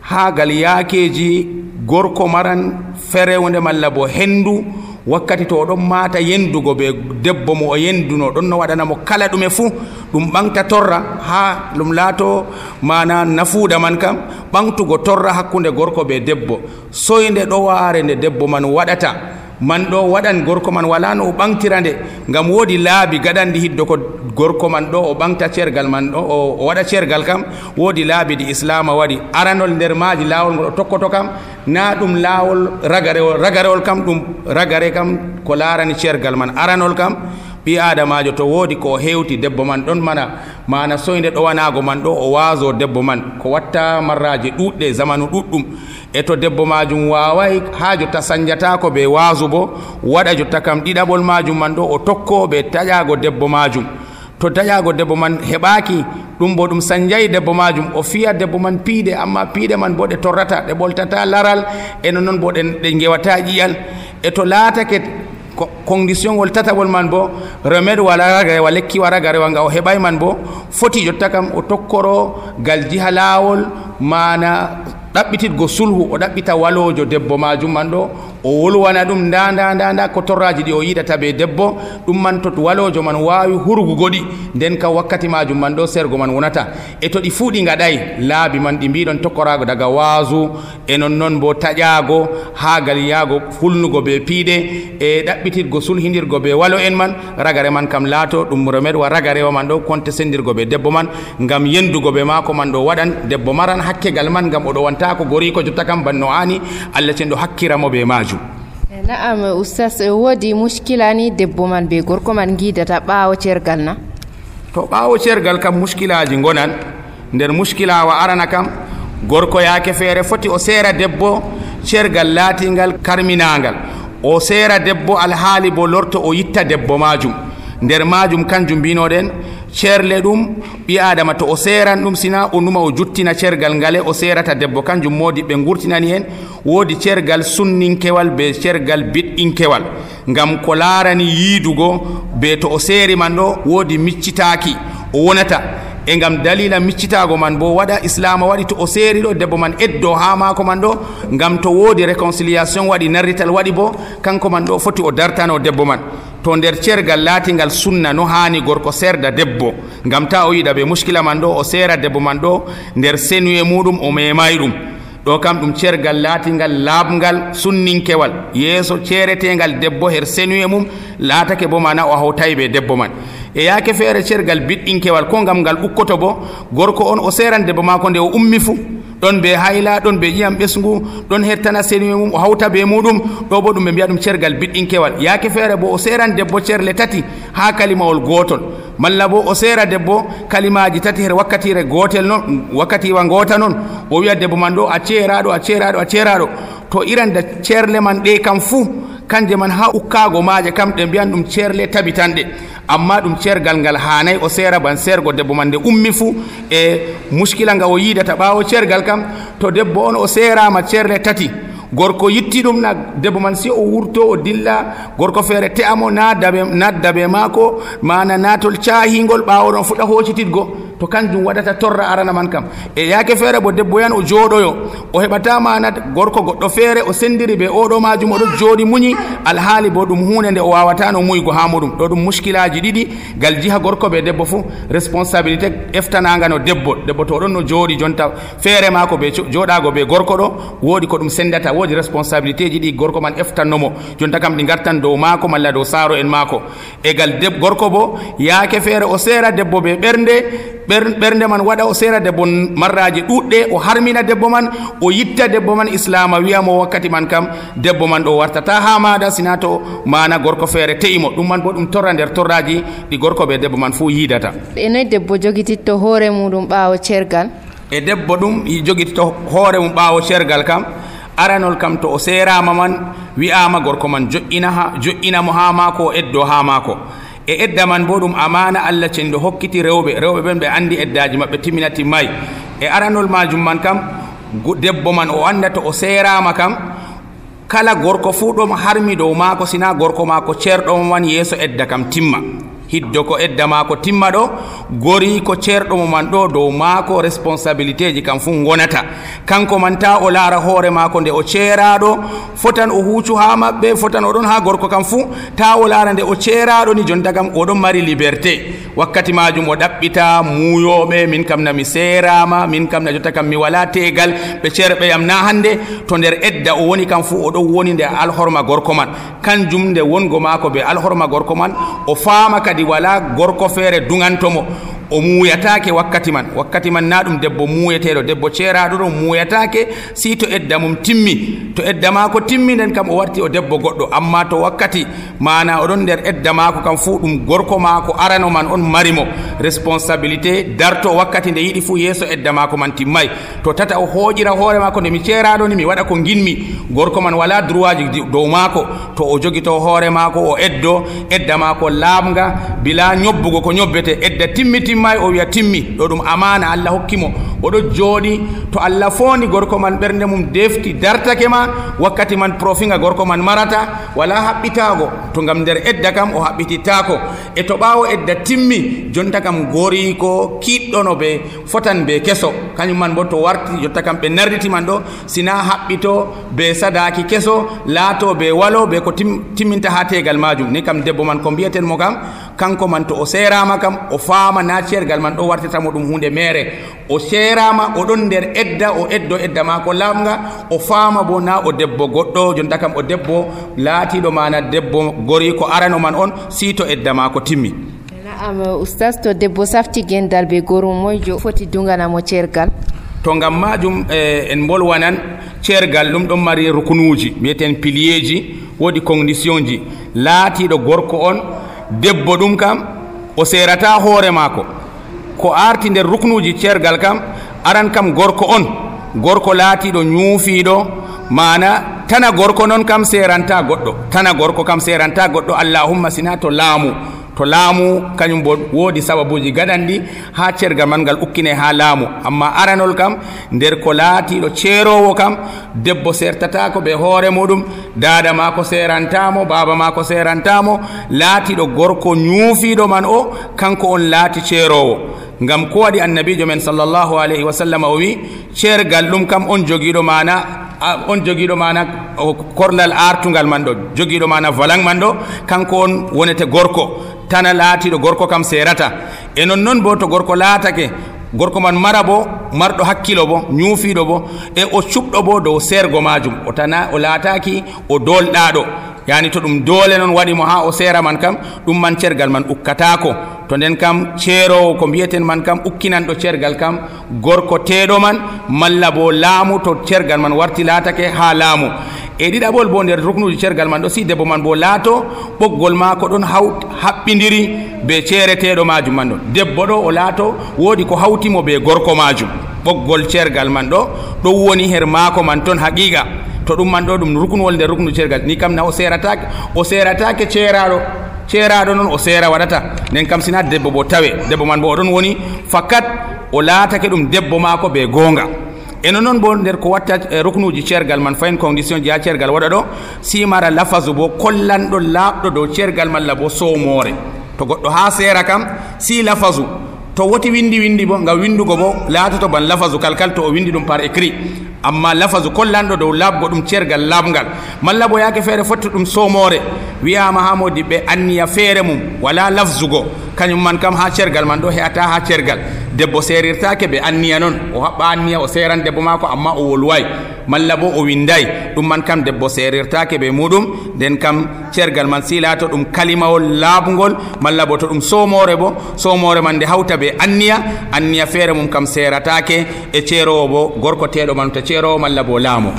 ha gal yaakeji gorko maran ferewde malla bo hendu wakkati to oɗon mata yendugo be debbo mo o yenduno ɗon no waɗanamo kala ɗume fuu ɗum ɓamta torra ha ɗum laato mana nafuuda man kam ɓamtugo torra hakkunde gorko be debbo soyde ɗo waare nde debbo man waɗata man ɗo waɗan gorko man wala no o ɓamtira nde ngam woodi laabi gaɗandi hiddo ko gorko man ɗo o ɓamta ceergal man ɗo o waɗa ceergal kam woodi laabi ɗi islama waɗi. aranol nder maaji laawol ngol o tokkoto kam na ɗum laawol ragarewol ragarewol kam ɗum ragare kam ko laarani ceergal man aranol kam ɓi adamajo to woodi ko hewti debbo man ɗon mana mana soyde ɗowanago man ɗo o waaso debbo man ko watta marraji ɗuɗɗe zamanu ɗuɗɗum e to debbo majum waway ha jotta sañjatako ɓe waasu bo waɗa jotta kam ɗiɗaɓol majum man ɗo o tokko ɓe taƴago debbo majum. to taƴago debbo man heɓaki ɗum bo ɗum sañjayi debbo majum o fiya debbo man piide amma piide man bo ɗe torrata ɗe ɓoltata laral e non noon bo ɗe gewata ƴiyal. e to laatake condition ngol tataɓol man bo remède wala ragarewa lekki wa ragarewa nga o heɓay man bo foti jotta kam o tokkoro gal jiha laawol mana ɗaɓɓititgo sulhu o ɗaɓɓita walojo debbo majum man ɗo o wolwana ɗum nda nda nda nda ko torraji ɗi o yiɗata be debbo ɗum man to walojo man wawi hurgugoɗi nden kam wakkati majum man ɗo sergo man wonata. e to ɗi fuu ɗi gaɗay laabi man ɗi mbiɗon tokkorago daga waasu e non noon bo taƴago ha gal yaago hulnugo be piide e ɗaɓɓititgo sulhidirgo be walo en man ragare man kam laato ɗum remède wa ragarewa man ɗo konte sendirgo be debbo man ngam yendugo be maako man ɗo waɗan debbo maran hakkegal man ngam oɗo wanta ko gori ko jotta kam banno ani Allah cen ɗo hakkiramo be majum.
na'am ustaz woodi muskila ni debbo man be gorko man gidata ɓaawo ceergal na?
to ɓaawo ceergal kam muskilaji gonan nder muskila wa arana kam gorko yaake feere foti o seera debbo ceergal laatingal karminagal o seera debbo alhaali bo lorto o yitta debbo majum nder majum kanjum mbinoɗen ceerle ɗum ɓi adama to o seeran ɗum sina o numa o juttina ceergal ngale o seerata debbo kanjum modi ɓe gurtinani en woodi ceergal sunninkewal be ceergal biɗɗinkewal ngam ko laarani yiidugo be to o seeri man ɗo woodi miccitaaki o wonata e ngam dalila miccitago man bo waɗa islama waɗi to o seeri ɗo debbo man eddo ha maako man ɗo ngam to woodi réconciliation waɗi narrital waɗi bo kanko man ɗo foti o dartano debbo man to nder cergal laatingal sunna no hani gorko serda debbo ngam ta o yiɗa ɓe muskila man ɗo o seera debbo man ɗo nder senuye muɗum o memay ɗum ɗo kam ɗum cergal laatingal laaɓngal sunninkewal yeeso ceeretegal debbo her senuye mum laatake bo mana o hawtay ɓe debbo man e yaake feere cergal biɗɗinkewal ko ngam ngal ukkoto bo gorko on o seeran debbo maako nde o ummi fuu ɗon ɓe hayla ɗon ɓe ƴiyam ɓesngu ɗon hettana senuye mum o hawta ɓe muɗum ɗo bo ɗum ɓe mbiya ɗum cergal biɗɗinkewal yaake feere bo o seeran debbo cerle tati ha kalimawol gotol malla bo o seera debbo kalimaji tati her wakkatire gotel noon wakkatiwa gota noon o wiya debbo man ɗo a ceeraɗo a ceeraɗo a ceeraɗo to iranda cerle man ɗe kam fuu kanje man ha ukkago maje kam ɗe mbiyan ɗum cerle tabitanɗe amma ɗum cergal ngal hanay o seera ban sergo debbo man nde ummi fuu e muskila nga o yidata ɓawo cergal kam to debbo on o seerama cerle tati gorko yitti ɗum na debbo man si o wurto o dilla gorko feere te'amo nadda be maako mana natol caahingol ɓawo ɗon fuɗa hoccititgo to kanjum waɗata torra arana man kam e yaake feere bo debbo yan o jooɗoyo o heɓata mana gorko goɗɗo feere o sendiri ɓe oɗo majum oɗo jooɗi muñi alhaali bo ɗum hunde nde o wawatano muygo ha muɗum ɗo ɗum muskilaji ɗiɗi gal jiha gorko ɓe debbo fuu responsabilité eftanaga no debbo debbo to ɗon no jooɗi jonta feere mako ɓe jooɗago ɓe gorko ɗo woodi ko ɗum sendata woodi responsabilité ji ɗi gorko man eftannomo jonta kam ɗi gartan dow maako malla dow saaro en maako e gal deb gorko bo yaake feere o seera debbo ɓe ɓernde ɓernde man waɗa o seera debbo marraji ɗuɗɗe o harmina debbo man o yitta debbo man islama wiyamo wakkati man kam debbo man ɗo wartata ha maɗa sina to mana gorko feere te'imo ɗum man bo ɗum torra nder torraji ɗi gorko ɓe debbo man fuu yidata
e noyi debbo jogititto hoore muɗum ɓaawo cergal
e debbo ɗum jogititto hoore mum ɓaawo cergal kam aranol kam to o seerama man wi'ama gorko man joƴƴina ha joƴƴinamo ha maako o eddo ha maako e edda man bo ɗum amana Allah cende hokkiti rewɓe rewɓe ɓen ɓe andi eddaji maɓɓe timmina timmay e aranol majum man kam debbo man o anda to o seerama kam kala gorko fuu ɗom harmi dow maako sina gorko maako ceerɗomo man yeeso edda kam timma hiddo ko edda maako timma ɗo gori ko ceerɗomo man ɗo dow maako responsabilité ji kam fuu gonata kanko man ta o laara hoore maako nde o ceeraɗo fotan o huucu ha maɓɓe fotan oɗon ha gorko kam fuu ta o laara nde o ceeraɗo ni jonta kam oɗon mari liberté wakkati majum o ɗaɓɓita muuyoɓe min kam na mi seerama min kam na jotta kam mi wala tegal ɓe ceerɓe yam na hande to nder edda o woni kam fuu oɗon woni nde alhorma gorko man kanjum nde wongo maako ɓe alhorma gorko man o faama kadi wala gorko feere dungantomo o muuyatake wakkati man wakkati man na ɗum debbo muuyeteɗo debbo ceeraɗo ɗo muuyatake si to edda mum timmi to edda maako timmi nden kam o warti o debbo goɗɗo amma to wakkati mana oɗon nder edda maako kam fuu ɗum gorko maako arano man on marimo responsabilité darto wakkati nde yiɗi fuu yeeso edda maako man timmay to tata o hooƴira hoore maako nde mi ceeraɗo ni mi waɗa ko ginmi gorko man wala droit ji dow maako to o jogito hoore maako o eddo edda maako laamga bila ñobbugo ko ñobbete edda timmi timmay o wiya timmi ɗo ɗum amana Allah hokkimo oɗo jooɗi to Allah fondi gorko man ɓernde mum defti dartake ma wakkati man profinga gorko man marata wala haɓɓitago to ngam nder edda kam o haɓɓitittako e to ɓawo edda timmi jonta kam gori ko kiɗɗono ɓe fotan ɓe keso kañum man bo to warti jotta kam ɓe narditi man ɗo sina haɓɓito ɓe sadaki keso laato ɓe walo ɓe ko tim, timminta ha tegal majum ni kam debbo man ko mbiyaten mo kam kanko man to o seerama kam o faama na ceergal man ɗo wartitamo ɗum hunde mere o seerama oɗon nder edda o eddo edda mako lamga o faama bo na o debbo goɗɗo jonta kam o debbo laatiɗo mana debbo gori ko arano man on si to edda mako timmi.
Naam oustas to debbo safti gendal be gorum moyjo foti dunganamo ceergal
to ngam majum eh, en bolwanan ceergal ɗum ɗon mari rukunuji mbiyeten pilier ji wodi condition ji laatiɗo gorko on debbo ɗum kam o seerata hoore maako ko arti nder ruknuji ceergal kam aran kam gorko on gorko laatiɗo ñuufiiɗo mana tana gorko noon kam seeranta goɗɗo tana gorko kam seeranta goɗɗo allahumma sina to laamu to laamu kañum bo woodi sababuji gaɗanɗi ha ceergal man ngal ukkine ha laamu amma aranol kam nder ko laatiɗo ceerowo kam debbo sertatako ɓe hoore muɗum dada mako serantamo baba mako serantamo laatiɗo gorko ñuufiɗo man o kanko on laati ceerowo ngam ko waɗi annabijo men sallllahu alayhi wa sallam o wi ceergal ɗum kam on jogiɗo mana on jogiiɗo mana korlal artugal man ɗo jogiiɗo mana valang man ɗo kanko on wonete gorko tana laatiɗo gorko kam serata e non noon bo to gorko laatake gorko man mara bo marɗo hakkilo bo ñuufiɗo bo e o cuɓɗo bo dow sergo majum o tana o laataki o dolɗaɗo yani to ɗum doole noon waɗimo ha o seera man kam ɗum man cergal man ukkatako to nden kam ceerowo ko mbiyeten man kam ukkinanɗo cergal kam gorko teeɗo man malla bo laamu to cergal man warti laatake ha laamu e ɗiɗaɓol bo nder ruknuji cergal man ɗo si debbo man bo laato ɓoggol maako ɗon hawt haɓɓidiri be ceereteɗo majum man ɗo debbo ɗo o laato woodi ko hawtimo be gorko majum ɓoggol cergal man ɗo ɗo woni her maako man toon haqiqa to ɗum man ɗo ɗum ruknuwol nder ruknu cergal ni kam na o seeratake o seeratake ceeraɗo ceeraɗo noon o seera waɗata nden kam sina debbo bo tawe debbo man bo oɗon woni fakat o laatake ɗum debbo maako be goonga eno noon bo nder ko watta ruknuji cergal man fayin condition ji ha cergal waɗa ɗo simara lafasu bo kollanɗo laaɓɗo dow cergal malla bo sowmore to goɗɗo ha seera kam si lafasu to woti windi windi bo ngam windugo bo laatoto ban lafasu kalkal to o windi ɗum par écrit amma lafasu kollanɗo dow laabgo ɗum cergal laabgal malla bo yaake feere fotti ɗum somore wiyama ha modiɓɓe anniya feere mum wala lafzugo kañum man kam ha cergal man ɗo heata ha cergal debbo seerirtake ɓe anniya noon o haɓɓa anniya o seeran debbo mako amma o wolway malla bo o winday ɗum man kam debbo seerirtake ɓe muɗum nden kam cergal man silato ɗum kalimawol laabgol malla bo to ɗum somore bo somore man nde hawta ɓe anniya anniya feere mum kam seeratake e ceerowo bo gorko teɗo man to ceerowo malla bo laamo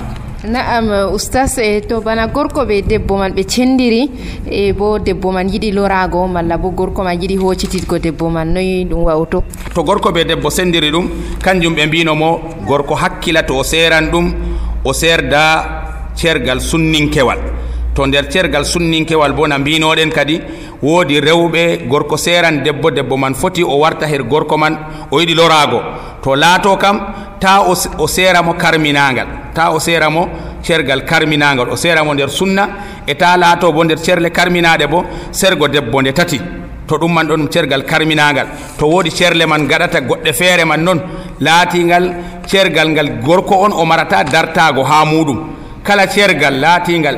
Naam oustas e to bana gorko be debbo man be cendiri e bo debbo man yiɗi lorago malla bo gorko man yiɗi hoccititgo debbo man noyi ɗum wawto
to gorko be debbo sendiri ɗum kanjum ɓe mbino mo gorko hakkila to o seeran ɗum o serda cergal sunninkewal to nder cergal sunninkewal bo na mbinoɗen kadi woodi rewɓe gorko seeran debbo debbo man foti o warta her gorko man o yiɗi lorago to laato kam ta o seera mo karminagal ta o seera mo cergal karminagal o seera mo nder sunna e ta laato bo nder cerle karminaɗe bo sergo debbo nde tati to ɗum man ɗon cergal karminagal to woodi cerle man gaɗata goɗɗe feere man noon laatingal cergal ngal gorko on o marata dartago ha muɗum kala cergal laatingal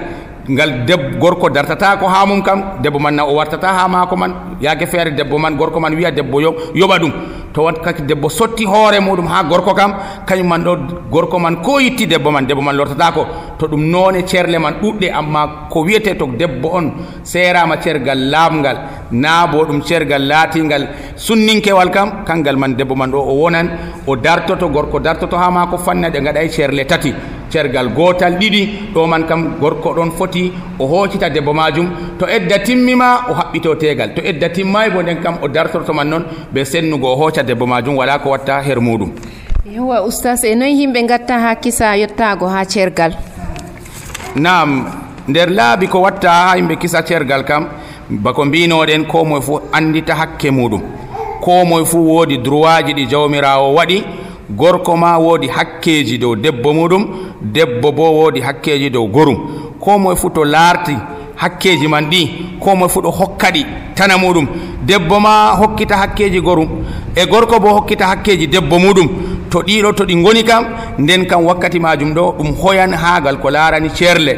ngal deb gorko dartata ko ha mum kam debbo man na o wartata ha maako man yaake feere debbo man gorko man wiya debbo yo yoɓa ɗum to wat kaki debbo sotti hoore muɗum ha gorko kam kañum man ɗo gorko man ko yitti debbo man debbo man lortata ko to ɗum noone cerle man ɗuɗɗe amma ko wiyete to debbo on seerama cergal laabgal na bo ɗum cergal laatingal sunninkewal kam kangal man debbo man ɗo o wonan o dartoto gorko dartoto ha maako fanna ɗe gaɗay cerle tati cergal gotal ɗiɗi ɗo man kam gorko ɗon foti o hoccita debbo majum to edda timmima o haɓɓito tegal to edda timmay bo nden kam o dartorto man noon ɓe sennugo o hocca debbo majum wala ko watta her muɗum
yowa oustas e noyi yimɓe gatta ha kisa yettago ha cergal
nam nder laabi ko watta ha yimɓe kisa cergal kam bako mbinoɗen ko moye fo andita hakke muɗum ko moye fo woodi droit ji ɗi jawmirawo waɗi gorko ma woodi hakkeji dow debbo muɗum debbo bo woodi hakkeji dow gorum ko moye fuu to laarti hakkeji man ɗi ko moye fuu ɗo hokka ɗi tana muɗum debbo ma hokkita hakkeji gorum e gorko bo hokkita hakkeji debbo muɗum to ɗiɗo to ɗi ngoni kam nden kam wakkati majum ɗo ɗum hoyan haagal ko laarani ceerle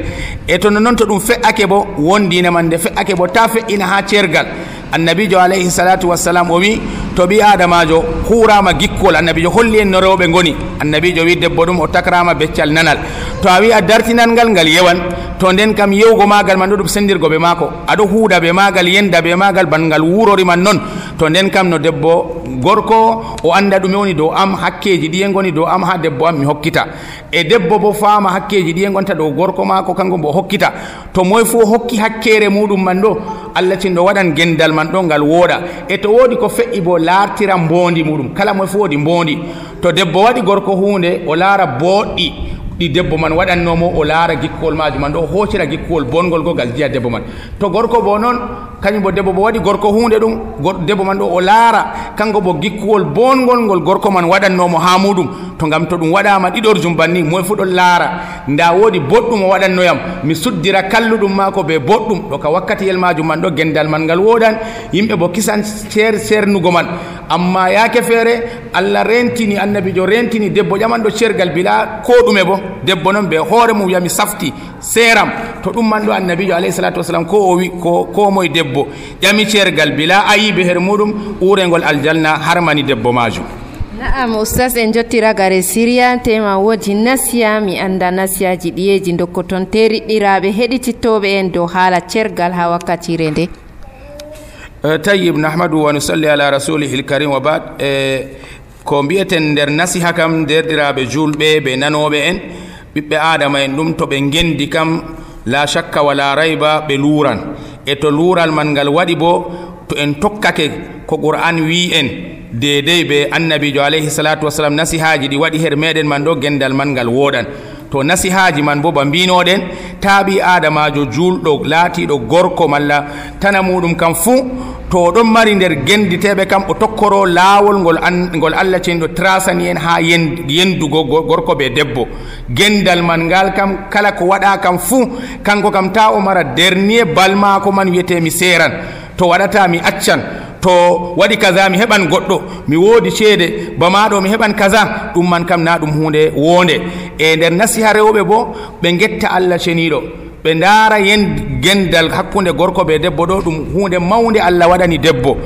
e to noon to ɗum fe'ake bo wondine man nde fe'ake bo ta fe'ina ha ceergal annabijo alayhi salatu wassalam o wi to ɓi adamajo hurama gikkol annabijo holli en no rewɓe ngoni annabijo wi debbo ɗum o takrama beccal nanal to a wi a dartinal ngal ngal yewan to nden kam yewgo magal man ɗo ɗum sendirgo ɓe maako aɗo huuda ɓe magal yenda ɓe magal ban ngal wurori man noon to nden kam no debbo gorko o anda ɗume woni dow am hakkeji ɗiye ngoni dow am ha debbo am mi hokkita e debbo bo faama hakkeji ɗiye gonta dow gorko maako kanko bo hokkita to moye fo hokki hakkere muɗum man ɗo allah tin ɗo waɗan gendal man ɗo ngal wooɗa e to woodi ko fe'i bo laartira mbondi muɗum kala moye fo woodi mbondi to debbo waɗi gorko hunde o laara boɗɗi ɗi debbo man waɗannomo o laara gikkol majum man ɗo o hoccira gikkol bongol go ngal jiya debbo man to gorko bo noon kañum bo debbo bo waɗi gorko hunde ɗum debbo man ɗo o laara kanko bo gikkuwol bongol ngol gorko man waɗannomo ha muɗum to ngam to ɗum waɗama ɗiɗorjum banni moye fu ɗon laara nda woodi boɗɗum o waɗannoyam mi suddira kalluɗum maako be boɗɗum ɗo ka wakkatiyel majum man ɗo gendal man ngal woɗan yimɓe bo kisan cer cernugo man amma yaake feere Allah rentini annabijo rentini debbo ƴamanɗo cergal bila ko ɗume bo debbo noon be hoore mum yami safti seram to ɗum man ɗo annabijo alayhi salatu wasalam ko o wi ko ko moye debbo ƴami cergal bila ayibe her muɗum urengol aljanna harmani debbo majum.
Na'am ustaz en jottira gare Syria tema wodi nasiya mi anda nasiyaji ɗiyeji dokkoton teriɗɗiraɓe heɗitittoɓe en dow haala cergal ha wakkatire nde.
tayyib nahmadu wa nusalli ala rasulihi lkarim wa bad e ko mbiyeten nder nasiha kam derɗiraɓe julɓe ɓe nanoɓe en ɓiɓɓe adama en ɗum to ɓe gendi kam la shakka wala rayba ɓe luuran e to luural man ngal waɗi bo to en tokkake ko qur'an wi en dedey ɓe annabijo alayhi salatu wasalam nasihaji ɗi waɗi her meɗen man ɗo gendal man ngal woɗan to nasihaji man bo ba mbinoɗen taaɓi adamajo julɗo laatiɗo gorko malla tana muɗum kam fuu to ɗon mari nder genditeɓe kam o tokkoro laawol ngol an ngol Allah cenɗo trasani en ha yendugo gorko ɓe debbo gendal man ngal kam kala ko waɗa kam fuu kanko kam ta o mara dernier balmako man wiyete mi seran to waɗata mi accan to waɗi kaza mi heɓan goɗɗo mi woodi ceede bamaɗo mi heɓan kaza ɗum man kam na ɗum hunde wonde e nder nasiha rewɓe bo ɓe getta Allah ceniɗo ɓe ndaara yen gendal hakkunde gorko ɓe debbo ɗo ɗum hunde mawde Allah waɗani debbo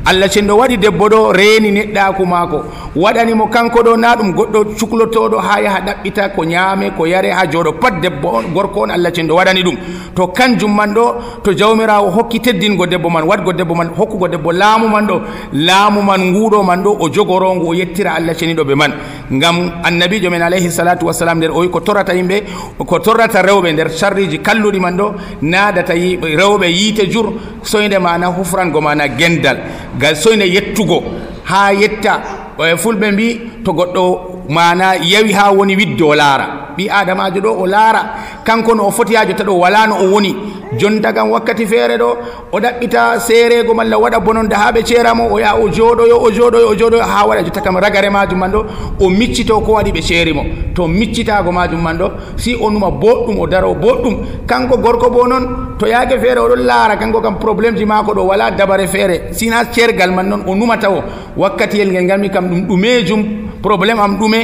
Allah cenɗo waɗi debbo ɗo reeni neɗɗaku maako waɗanimo kanko ɗo na ɗum goɗɗo cuklotoɗo ha yaha ɗaɓɓita ko ñaame ko yare ha jooɗo pat debbo on gorko on Allah cenɗo waɗani ɗum to kanjum man ɗo to jawmirawo hokki teddingo debbo man waɗgo debbo man hokkugo debbo laamu man ɗo laamu man nguuɗo man ɗo o jogorongo o yettira Allah ceniɗo ɓe man ngam annabijo men alayhi salatu wassalam nder o wi ko torrata yimɓe ko torrata rewɓe nder sharriji kalluɗi man ɗo naadata rewɓe yiite jur soyde mana hufrango mana gendal gal soyde yettugo ha yetta fulɓe mbi to goɗɗo mana yawi ha woni widde o laara ɓi adamajo ɗo o laara kanko no o foti ha jotta ɗo wala no o woni jonta kam wakkati feere ɗo o ɗaɓɓita seerego malla waɗa bononda ha ɓe ceeramo o yaha o jooɗoyo o jooɗoyo o jooɗoyo ha waɗa jotta kam ragare majum man ɗo o miccito ko waɗi ɓe ceerimo to miccitago majum man ɗo si o numa boɗɗum o daro boɗɗum kanko gorko bo noon to yaake feere oɗon laara kanko kam probléme ji mako ɗo wala dabare feere sina ceergal man noon o numata o wakkatiyel ngel ngalmi kam ɗum ɗumejum probléme am ɗume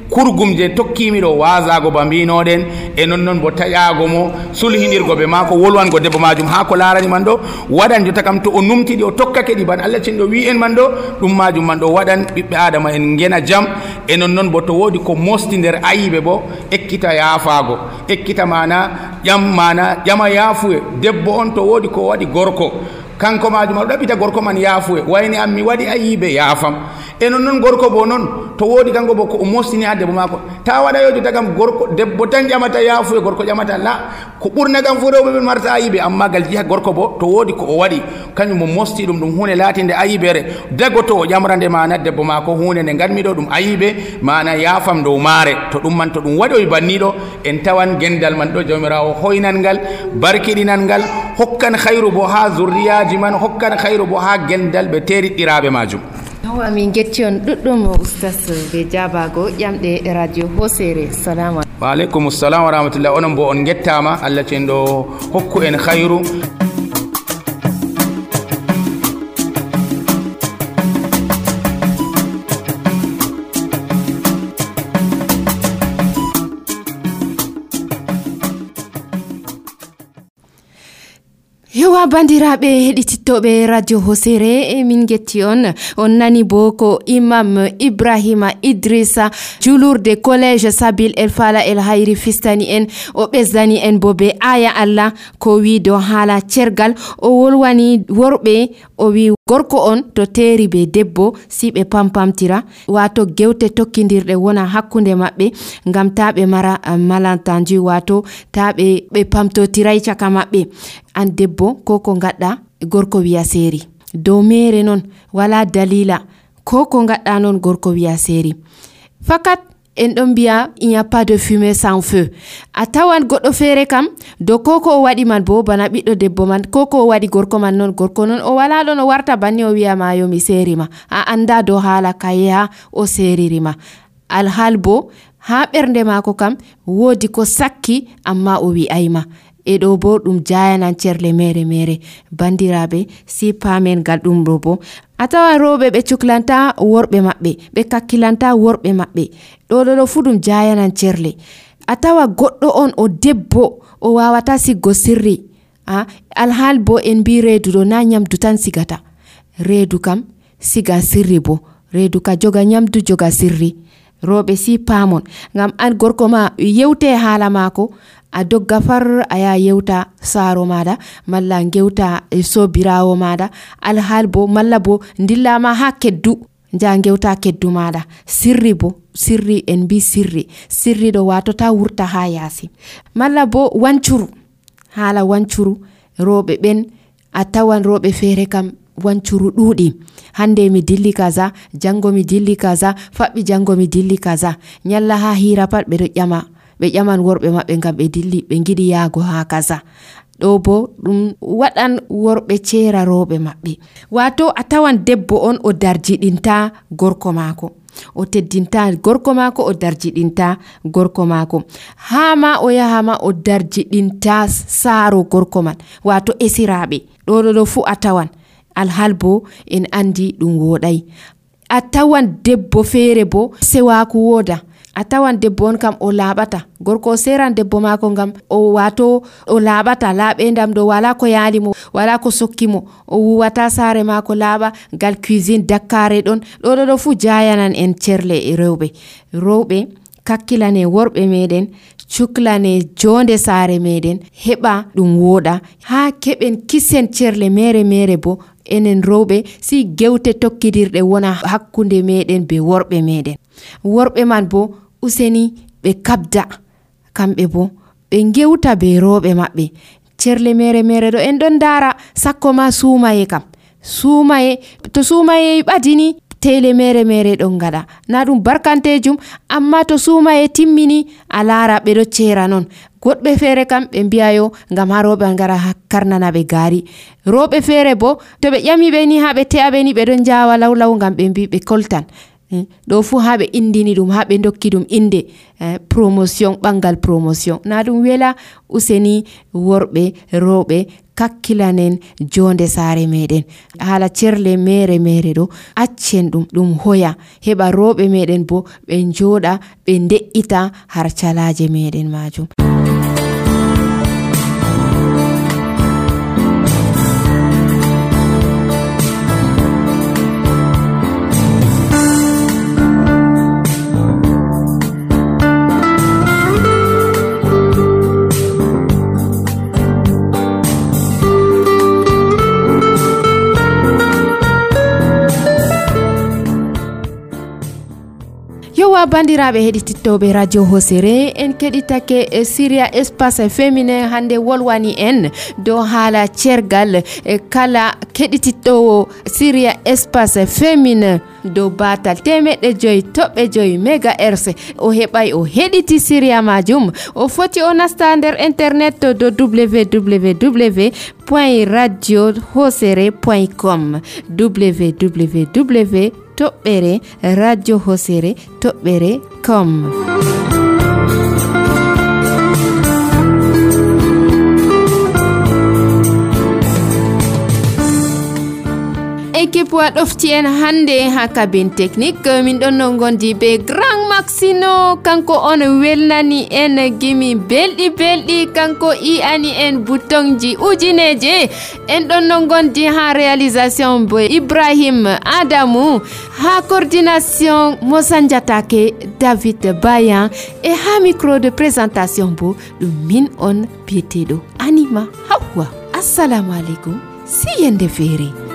kurgum je tokkimi ɗo wasago ba mbinoɗen e non noon bo taƴago mo sulhidirgo ɓe mako wolwango debbo majum ha ko larani man ɗo waɗan jotta kam to o numtiɗi o tokkake ɗi ban Allah cenɗo wi en man ɗo ɗum majum man ɗo waɗan ɓiɓɓe adama en gena jaam e non noon bo to woodi ko mosti nder ayiɓe bo ekkita yaafago ekkita mana ƴam mana ƴama yaafuye debbo on to woodi ko waɗi gorko kanko majum aɗo ɗaɓɓita gorko man yaafuye wayni am mi waɗi ayiɓe yaafam e non noon gorko bo noon to woodi kanko bo ko o mostini ha debbo maako ta waɗayojo tagam gorko debbo tan ƴamata yaafuye gorko ƴamata la ko ɓurna kam fo rewɓe ɓe marta ayiɓe amma gal jiha gorko bo to woodi ko o waɗi kañum mo mosti ɗum ɗum hunde laatinde ayibere dago to o ƴamrande mana debbo maako hunde nde ganmiɗo ɗum ayiɓe mana yaafam dow maare to ɗum man to ɗum waɗoy banniɗo en tawan gendal man ɗo jawmirawo hoynal ngal barkiɗinal ngal hokkan hayru bo ha zurriyaji man hokkan hayru bo ha gendal ɓe teriɗɗiraɓe majum.
Awa min getti on ɗuɗɗum ustas be jabago ƴamɗe radio hosere salamu
wa aleykum salam wa rahmatullah onon bo on gettama Allah cenɗo hokku en hayru.
Yowa bandiraɓe heɗitittoɓe radio hosere e min getti on on nani bo ko imam Ibrahima Idrissa julurde collège Sabil El Fala El Hayri fistani en o ɓesdani en bo be aya Allah ko wi do haala cergal o wolwani worɓe o wi gorko on to teeri be debbo si ɓe pampamtira wato gewte tokkidirɗe wona hakkunde maɓɓe ngam ta ɓe mara malentendu wato ta ɓe ɓe pamtotiray caka maɓɓe an debbo ko ko gadda gorko wiya seeri dow mere non wala dalila ko ko gadda non gorko wiya seeri fakat en ɗon mbiya il n'y a pas de fumée sans feu. A tawan goɗɗo feere kam do koko o waɗi man bo bana ɓiɗɗo debbo man koko o waɗi gorko man non gorko non o wala ɗon o warta banni o wiya ma yo mi serima a anda do hala kayeha o seririma alhal bo ha ɓernde mako kam wodi ko sakki amma o wi'ayma e ɗo bo ɗum jayanan cerle mere mere. Bandiraɓe si pamen gal ɗum ɗo bo a tawan roɓe ɓe cuklanta worɓe maɓɓe ɓe kakkilanta worɓe maɓɓe ɗo ɗo ɗo fu ɗum jayanan cerle. A tawa goɗɗo on o debbo o wawata siggo sirri a alhal bo en mbi reedu ɗo na nyamdu tan sigata, reedu kam siga sirri bo reedu ka joga nyamdu joga sirri. Roɓe si pamon ngam an gorko ma yewte hala mako a dogga far a ya yewta saro mada malla gewta e sobirawo mada alhal bo malla bo ndillama ha keddu ja gewta keddu mada sirri bo sirri en bi sirri sirri do watota wurta ha yasi malla bo wancuru hala wancuru roɓe ben a tawan roɓe fere kam wancuru ɗuɗi hande mi dilli kaza jango mi dilli kaza faɓɓi jango mi dilli kaza nyalla ha hira pat ɓe ɗo ƴama ɓe ƴaman worɓe maɓɓe ngam ɓe dilli ɓe giɗi yaago ha kaza ɗo bo ɗum waɗan worɓe cera roɓe maɓɓe. Wato a tawan debbo on o darjiɗinta gorko mako o teddinta gorko mako o darjiɗinta gorko mako ha ma o yaha ma o darjiɗinta saaro gorko man wato esiraɓe ɗo ɗo ɗo fu a tawan alhal bo en andi ɗum woɗai. A tawan debbo feere bo sewaku woda a tawan debbo on kam o laɓata gorko o seran debbo mako ngam o wato o laɓata laɓendam ɗo wala ko yaali mo wala ko sokki mo o wuwata saare mako laaɓa ngal cuisine dakkare ɗon ɗo ɗo ɗo fu jayanan en cerle e rewɓe. Rewɓe kakkilane worɓe meɗen cuklane jonde saare meɗen heɓa ɗum woɗa ha keɓen kisen cerle mere mere bo enen rewɓe si gewte tokkidirɗe wona hakkunde meɗen be worɓe meɗen. Worɓe man bo useni ɓe kabda kamɓe bo ɓe gewta be rewɓe maɓɓe cerle mere mere ɗo en ɗon dara sakko ma sumaye kam sumaye to sumaye ɓadini tele mere mere ɗon gaɗa na ɗum barkantejum amma to sumaye timmini a lara ɓe ɗo cera non. Goɗɓe feere kam ɓe mbiyayo ngam ha roɓe ngara karnana ɓe gaari roɓe feere bo to ɓe ƴami ɓe ni ha ɓe te'a ɓe ni ɓe ɗon jawa lawlaw ngam ɓe mbi ɓe koltan ɗo fu ha ɓe indini ɗum ha ɓe dokki ɗum inde eh, promotion ɓangal promotion na ɗum wela. Useni worɓe rewɓe kakkilanen jonde saare meɗen hala cerle mere mere ɗo accen ɗum ɗum hoya heɓa rewɓe meɗen bo ɓe joɗa ɓe de'ita har calaje meɗen majum. Bandiraɓe heɗitittoɓe radio Hosere en keɗitake e Syria espace féminin hande wolwani en dow haala cergal e kala keɗitittowo Syria espace féminin dow batal temeɗɗe joyi toɓɓe joyi mégahertz o heɓay o heɗiti Syria majum o foti o nasta nder internet do w w w point radio hosere point com w w w toɓɓere radio hosere toɓɓere com. Équipe wa ɗofti en hande ha cabine technique min ɗon no gondi be grand Maxino kanko on welnani en gimi belɗi belɗi kanko i ani en boutonji ujineje en ɗon no gondi ha réalisation bo Ibrahim Adamou ha coordination Mosanjatake David Bayan e ha micro de présentation bo ɗum min on biyeteɗo Anima Hawa. Assalamu alaikum si yende feere.